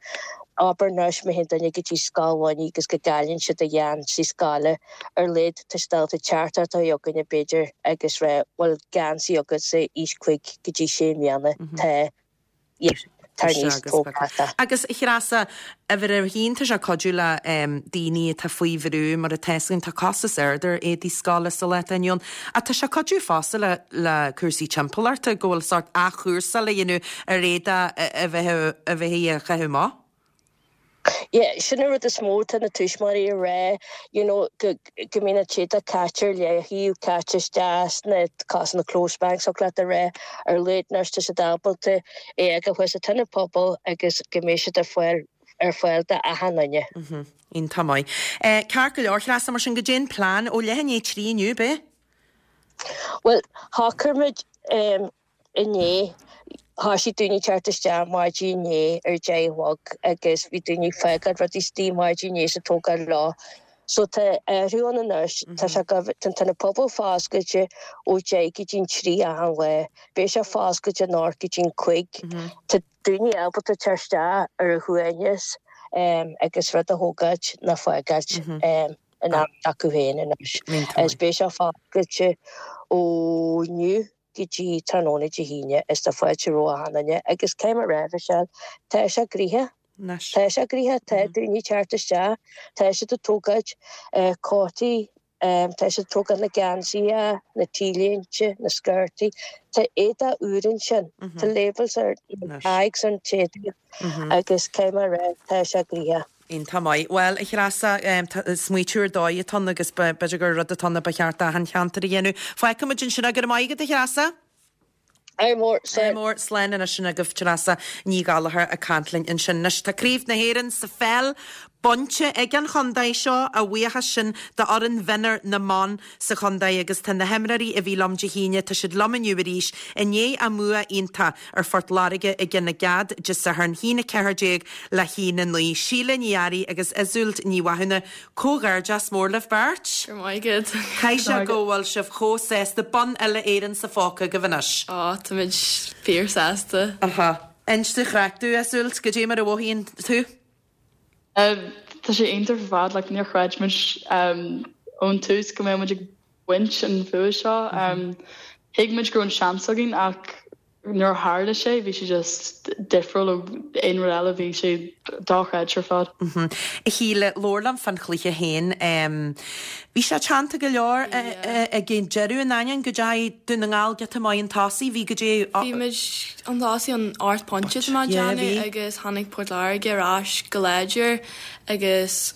Abair anois má théann duine go dtí Scoil Mhainigh agus go gcailleann siad a gheansaí scoile, ar a laghad tá siad ábalta teacht thart chugainne b'fhéidir agus rá bhfuil geansaí agatsa aois 5 go dtí 6 mbliana, tá, yeah, tar aníos, tóg leat é.
Agus a Threasa, Uimhir a haon, tá sé ag cuidiú le daoine atá faoi bhrú, mar atá fhios againn, tá costas ard ar éadaí scoile sa lá atá inniu ann. Ach tá sé ag cuidiú fosta le le cúrsaí timpeallachta, go bhfuil sórt athchúrsáil a dhéanamh ar éadach a bheith a bheith á chaitheamh amach.
Yeah, sin an rud is mó atá na tuismitheoirí ag rá, you know, go go mbíonn an t-éadach caite ar leaththaobh, caite isteach sna cosúil na clothes banks, thig leat a rá, ar a laghad anois tá siad ábalta é a fhágáil thuas sa tionad pobail agus go mbeidh siad ar fáil ar fáil d'achan duine.
Iontach maith. Ceart go leor, Treasa, mar sin goidé an plean ó leath i ndiaidh 3 inniu, ab é?
Bhuel, shocraigh muid inné, thoisigh daoine teacht isteach maidin inné ar 10 a chlog agus bhí daoine ag fágáil rudaí istigh maidin inné is ag tógáil leo. So tá athrú ann anois, tá sé go, tá an t-ionad pobail foscailte ó 10 go dtí'n 3 achan lá. Beidh sé foscailte anocht go dtí'n 5. Tá daoine ábalta teacht isteach ar a shuaimhneas agus rud a thógáilt nó fágáilt in am acu féin anois. Is beidh sé foscailte ó inniu go dtí tráthnóna Dé hAoine is tá fáilte roimh achan duine agus caithfidh mé a rá Michelle, tá sé gnoitheach. Tá sé gnoitheach, tá daoine ag teacht isteach, tá siad ag tógáilt cótaí Tá siad ag tógáil na geansaithe, na t-léinte, na sciortaí. Tá éadach úr ansin. Tá labels ar na tags ar an t-éadach agus caithfidh mé a rá, tá sé gnoitheach.
Iontach maith. Bhuel, a Threasa, smaoitiú ar dóigh atá ann agus b'fhéidir gur rud atá ann a ba cheart d'achan cheantar a dhéanamh. Fágfaidh muid ansin é. Go raibh maith agat, a Threasa.
Ádh mór,
Ádh mór, slán anois sin agaibh Treasa Ní Ghallchóir ag caint linn ansin. Anois tá Craobh na hÉireann sa pheil bainte ag an chontae seo, a bhuíochas sin d'fhoireann mhionúir na mban sa chontae agus tá na himreoirí a bhí liom Dé hAoine, tá siad liom inniu arís i ndiaidh a mbua iontach ar Phort Láirge i gCionn na gCead Dé Sathairn, 1-14 le 1-9. Síle Ní Fhearraigh agus Iseult Ní Mhathúna Comhghairdeas mór libh beirt.
Go raibh maith agat.
Caithfidh sé go bhfuil sibh chomh sásta. Bonn uile Éireann sa phóca agaibh anois.
Á, táimid fíor sásta.
Aha. Inis an chraic domh, Iseult, goidé mar a mhothaíonn tú?
Tá sé iontach ar fad, like níor chreid muid ón tús go mbeadh muid ag baint an bhua seo. Thuig muid go raibh an seans againn ach Nuair a tharla sé, bhí sé just difriúil ó aon rud eile, bhí sé dochreidte ar fad.
A Shíle, labhair liom fán chluiche féin. Bhí sé teannta go leor ag an deireadh in ainneoin go dteachaigh Dún na nGall giota maith chun tosaigh. Bhí go dtí.
Bhí muid chun tosaigh an ocht bpointe tá mé ag déanamh agus tháinig Port Láirge ar ais go láidir agus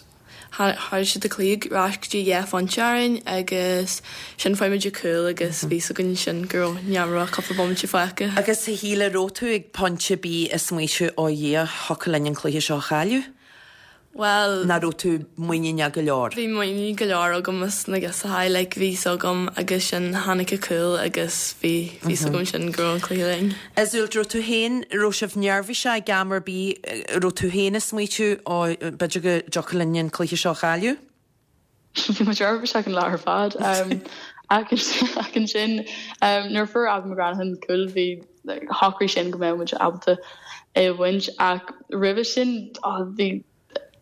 Tharraing siad an cluiche ar ais go dtí 2 phointe orainn agus sin fuair muid an cúl agus bhí 'fhios againn ansin go raibh ní raibh cúpla bomaite fágtha.
Agus a Shíle, raibh tú ag pointe ar bith ag smaoitiú ó Dhia, thiocfadh linn an cluiche seo a chailleadh?
Bhuel.
Nó raibh tú muiníneach go leor?
Bhí muinín go leor agam as na girseachaí, like bhí 'fhios agam agus sin tháinig an cúl agus bhí 'fhios agam sin go raibh an cluiche linn.
Iseult, raibh tú féin, raibh sibh neirbhíseach ag am ar bith, raibh tú féin ag smaoitiú, ó, b'fhéidir go dtiocfadh linn an cluiche seo a
chailleadh? Bhí muid neirbhíseach an lá ar fad. Ach ansin, nuair a fuair Abby McGranaghan cúl, bhí, shocraigh sin go mbeadh muid ábalta é a bhaint. Ach roimhe sin, bhí,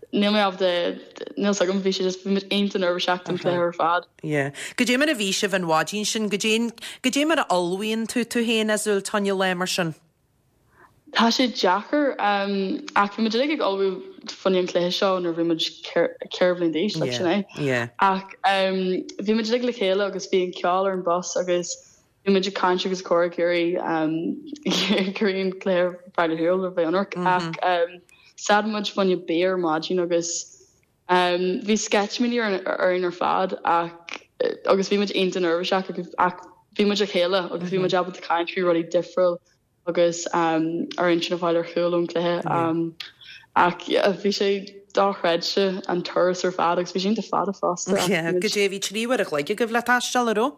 Níl mé ábalta, níl 's agam, bhí sé just, bhí muid iontach neirbhíseach don chluiche ar fad.
Yeah. Goidé mar a bhí sibh an mhaidin sin, goidé, goidé mar a ullmhaíonn tú tú féin, Iseult, fá choinne lá mar sin?
Tá sé deacair, ach bhí muid uilig ag ullmhú fá choinne an chluiche seo nuair a bhí muid 4 bhliain d'aois, like sin é.
Yeah.
Ach bhí muid uilig le chéile agus bhí an ceol ar an bus agus Bhí muid ag caint agus ag comhrá ag iarraidh ag iarraidh an cluiche a fháil ar shiúl le bheith ionraic ach stad muid fá choinne bia ar maidin agus. Bhí sceitimíní orainn ar fad ach agus bhí muid iontach neirbhíseach ach bhí muid le chéile agus bhí muid ábalta caint faoi rudaí difriúil agus ár intinn a fháil ar chúl ón cluiche. Ach bhí sé dochreidte an turas ar fad agus bhí sé iontach fada fosta.
Goidé bhí 3 uair a chloig agaibh le taisteal, an raibh?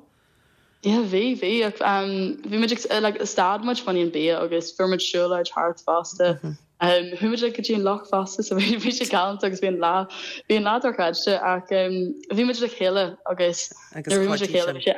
Yeah bhí, bhí ach bhí muid ag like stad muid fá choinne an bia agus fuair muid siúlóid thart fosta. Chuaigh muid like go dtí an loch fosta so bhí bhí sé galánta agus bhí an lá bhí an lá dochreidte ach bhí muid le chéile agus
nuair
a bhí muid le chéile bhí sé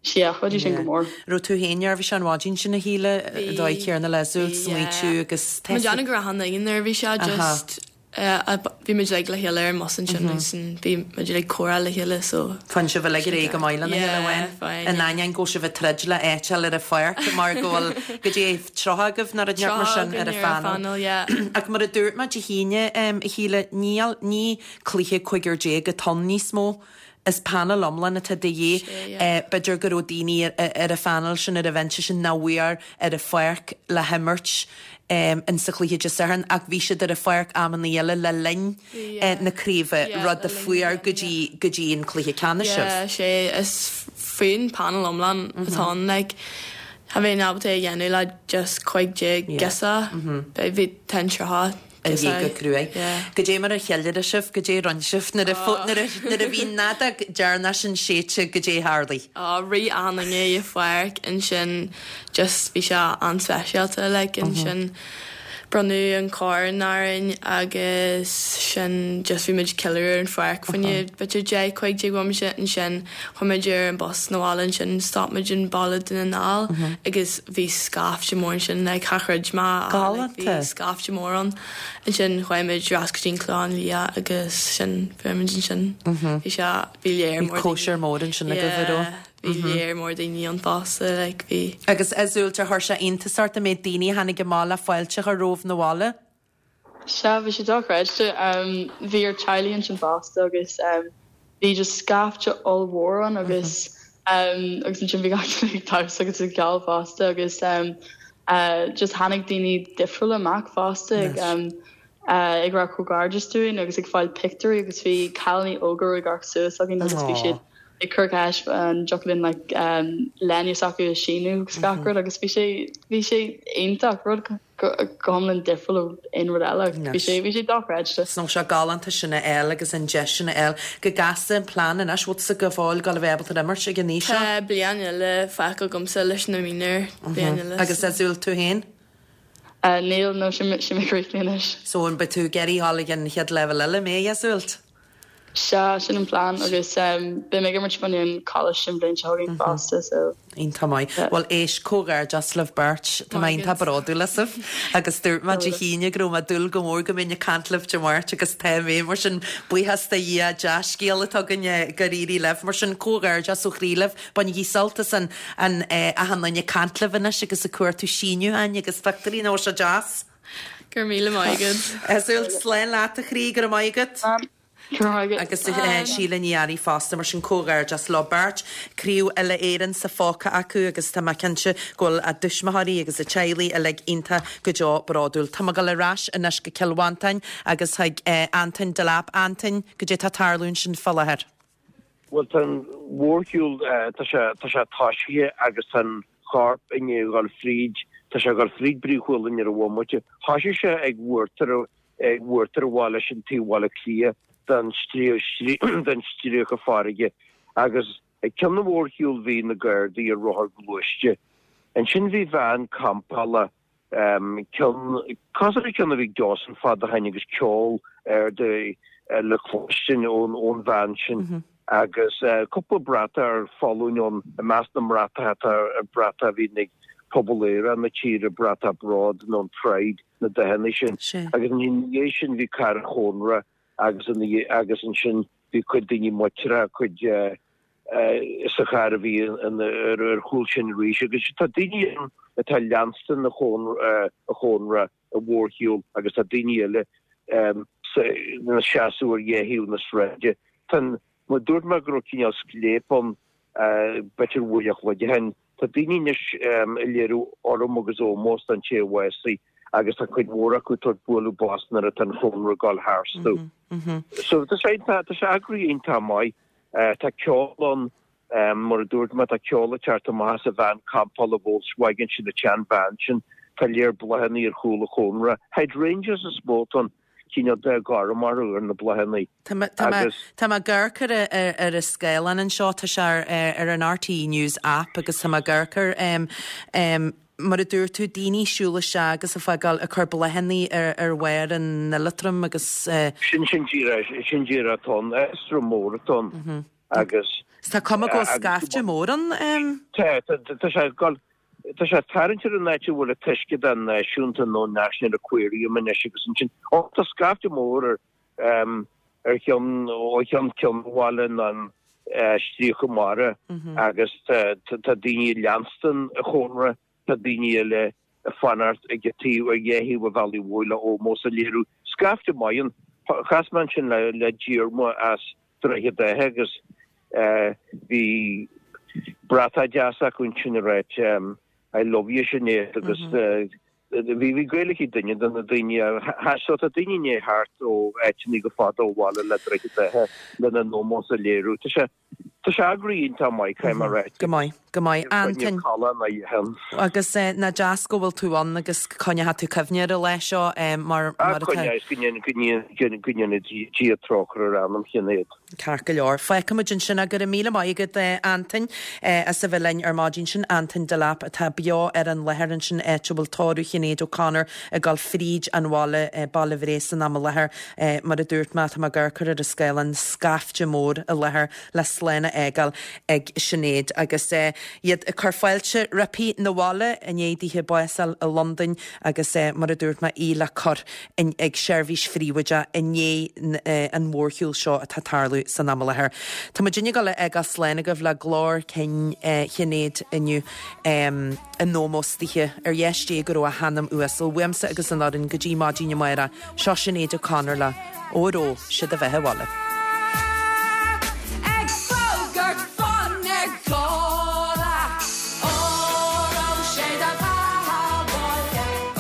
sea chuidigh sin go mór.
Raibh tú féin neirbhíseach an mhaidin sin a Shíle, an dóigh chéanna le Iseult, smaoitiú agus
Tá mé ag déanamh go raibh achan duine neirbhíseach just Bhí muid uilig le chéile ar an mbus ansin agus bhí muid uilig ag comhrá le chéile so.
Faigheann sibh uilig ar aghaidh go maith lena chéile amháin. In ainneoin go bhfuil sibh ag troid le áit a fháil ar an pháirc mar go bhfuil goidé 30 agaibh nó rud inteacht mar sin ar an phainéal.
yeah.
Ach mar a dúirt mé Dé hAoine, a Shíle, níl, ní cluiche cúigear déag atá ann níos mó. Is painéal iomlán atá de dhíth. B'fhéidir go raibh daoine ar an phainéal sin, ar an bhinse sin, nach bhfuair ar an pháirc le himirt in sa chluiche Dé Sathairn ach bhí siad ar an pháirc amannaí eile le linn na craoibhe, rud a fuair go dtí go dtí an cluiche ceannais sibh.
Yeah, sea, is foireann painéal iomlán atá ann, like, cha bheinn ábalta é a dhéanamh le just 15 girseach, bhí tá an 30.
Ar aghaidh go cruaidh. Goidé mar a cheiliúraigh sibh, goidé a rinne sibh nuair a nuair a bhí an fheadóg deireanach sin séidte, goidé a tharlaigh?
Á, rith achan duine i pháirc ansin just bhí sé an-speisialta like ansin bronnadh an corn orainn agus sin just bhí muid ag ceiliúradh ar an pháirc fá choinne b'fhéidir 10, 15 bhomaite ansin chuaigh muid ar an bus 'na bhaile ansin stop muid in baile Dhún na nGall agus Bhí scaifte mór ansin, like char chreid mé ach like bhí scaifte mór ann. Ansin chuaigh muid ar ais go dtí an Clochán Liath agus sin fuair muid ansin. Bhí sé, bhí léar
mór daoine. Bhí cóisir mór ansin agaibh, an raibh?
Yeah, bhí léar mór daoine ann fosta, like bhí.
Agus Iseult, ar chuir sé iontas ort an méid daoine a tháinig amach le fáilte a chur romhaibh 'na bhaile?
Sea, bhí sé dochreidte. Bhí ár teaghlaigh ansin fosta agus bhí just scaifte ollmhór ann agus agus ansin bhí gach duine ag damhsa agus ag ceol fosta agus just tháinig daoine difriúla amach fosta ag ag rá comhghairdeas dúinn agus ag fáil pictiúirí agus bhí cailíní óga ag amharc suas againn agus bhí siad ag cur ceist an dtiocfadh linn like léine s'acu a síniú agus gach rud agus bhí sé bhí sé iontach rud go hiomlán difriúil ó aon rud eile. Bhí sé, bhí sé dochreidte.
Is sé galánta sin a fháil agus an deis sin a fháil. Go gasta an plean anois, bhfuil tusa go fóill ag gabháil a bheith ábalta imirt ag an aois seo?
Tá bliain eile fágtha agamsa leis na mionúir, bliain eile.
Agus Iseult, tú féin?
Níl, no, sin mé críochnaithe anois.
So an beidh tú ag iarraidh dhul ag an chéad leibhéal eile, an mbeidh, Iseult?
Sea, sin an plean agus beidh mé ag imirt fá choinne an coláiste an bhliain seo chugainn fosta so.
Iontach maith. Bhuel éist, comhghairdeas libh beirt. Tá mé iontach bródúil asaibh agus dúirt mé Dé hAoine go raibh mé ag dúil go mór go mbeinn ag caint libh Dé Máirt agus tá mé. Mar sin, buíochas do Dhia, dea-scéal atá againn gur éirigh libh. Mar sin, comhghairdeas ó chroí libh. Bainigí sult as an achan duine ag caint libh anois agus ag cuartú síniúcháin agus pictiúirí, nach bhfuil sé deas?
Go raibh míle maith agat.
Iseult, slán leat a chroí, go raibh maith agat.
Go raibh maith agat.
Agus Síle Ní Fhearraigh fosta, mar sin comhghairdeas leo beirt. Craobh Uile-Éireann sa phóca acu agus tá mé cinnte go bhfuil a dtuismitheoirí agus a teaghlaigh uilig iontach go deo bródúil. Tá mé ag dul ar ais anois go Cill Mhantáin agus chuig Antoin Delap. Antoin, goidé tá ag tarlú ansin fá láthair?
Bhuel, tá an mhórshiúl, tá sé, tá sé toisithe agus tá an corp i ndiaidh a dhul fríd, tá sé ag dul fríd Brí Chualann ar an bhomaite. Thoisigh sé ag uachtar, ag uachtar an bhaile sin taobh Bhaile Átha Cliath den den stríoca farraige agus ag ceann an mhórshiúil bhí na Gardaí ar rothair gluaiste. Ansin bhí veain campála ceann, cosúil le ceann a bhí ag Dawson fad ó shin agus ceol ard le cloistin ón ón veain sin agus cúpla bratach ar foluain ann, i measc na mbratacha tá bratach a bhíonn ag pobal aerach na tíre, bratach bród nó an Pride, na dathanna sin. Agus ina dhiaidh sin bhí carr an chónra agus ina dhiaidh agus ansin bhí cuid daoine muinteartha, cuid sa charr a bhí ar chúl sin arís agus tá daoine ann atá ag leanstan an chónra an mhórshiúil agus tá daoine eile ina seasamh ar dhá thaobh na sráide. Tá an, mar dúirt mé go raibh cineál scléip ann b'fhéidir uair a chloig ó shin. Tá daoine anois ag léiriú urraim agus ómós don té a bhásaigh. agus tá cuid mhór acu ag tabhairt bualadh bos nuair atá an chónra ag dul tharstu. So tá sé tá sé eagraithe iontach maith. Tá ceol ann, mar a dúirt mé, tá ceol ag teacht amach as an veain campála Volkswagen sin, an tsean-veain sin. Tá léar bláthanna ar chúl an chónra. Hydrangeas is mó atá ann, cineál dath gorm orthu ar na bláthanna.
Tá mé tá mé ag amharc ar ar an scáileán anseo, tá sé ar ar an RTÉ News app agus tá mé ag amharc ar mar a dúirt tú, daoine ag siúl isteach agus ag fágáil, ag cur bláthanna ar ar bharr an oileatraim agus.
Sin sin díreach, sin díreach atá ann, oileatram mór atá ann agus.
Tá cuma go bhfuil scaifte mór ann.
Tá, tá sé ag dul, tá sé ag tarraingt ar an áit a bhfuil an t-uisce den náisiúnta nó National Aquarium anois agus ansin, ó tá scaifte mór ar ar cheann, ó cheann ceann an bhaile ná an stríoca mara agus tá daoine ag leanstan an chónra, tá daoine eile ag fanacht ag an taobh, ar dheis thaobh an bhealaigh mhóir le ómós a léiriú. Scaifte maith ann. Chas mé ansin le Diarmuid as Droichead Átha agus bhí bratach deas acu ansin ag ráit I love you Sinéad agus Bhí bhí Gaeilge ag duine de na daoine a so tá daoine i ndiaidh theacht ó áiteanna go fada ó bhaile le Droichead Átha lena n-ómós a léiriú. Tá sé tá sé eagraithe iontach maith, caithfidh mé a rá.
Go maith, go maith. Antain.
Callán a dhéanamh.
Agus nach deas go bhfuil tú ann agus coinneoidh tú cuimhne ar an lá seo mar
mar atá. Coinneoidh is go ndéana go ndéana Dia trócaire ar anam Shinéad.
Ceart go leor. Fágfaimid ansin é. Go raibh míle maith agat, Antain, as a bheith linn ar maidin. Sin Antain Delap atá beo ar an láthair ansin, áit a bhfuil tórramh Shinéad O'Connor ag dul fríd an bhaile, Baile Bhréis san am i láthair. Mar a dúirt mé, tá mé ag amharc ar an scáileán, scaifte mór i láthair le slán a fhágáil ag Sinéad agus iad ag cur fáilte roimpi 'na bhaile i ndiaidh dithe bás a fháil i Londain agus mar a dúirt mé, í le cur ag seirbhís phríobháideach i ndiaidh an mhórshiúil seo atá ag tarlú san am i láthair. Tá muidinne ag dul a fhágáil slán agaibh le glór cinn Shinéad inniu in ómós dithe. Ar dheis Dé go raibh a hanam uasal. Uaimse agus an fhoireann go dtí maidin amárach, seo Sinéad O'Connor le Óró Sé do Bheatha 'Bhaile.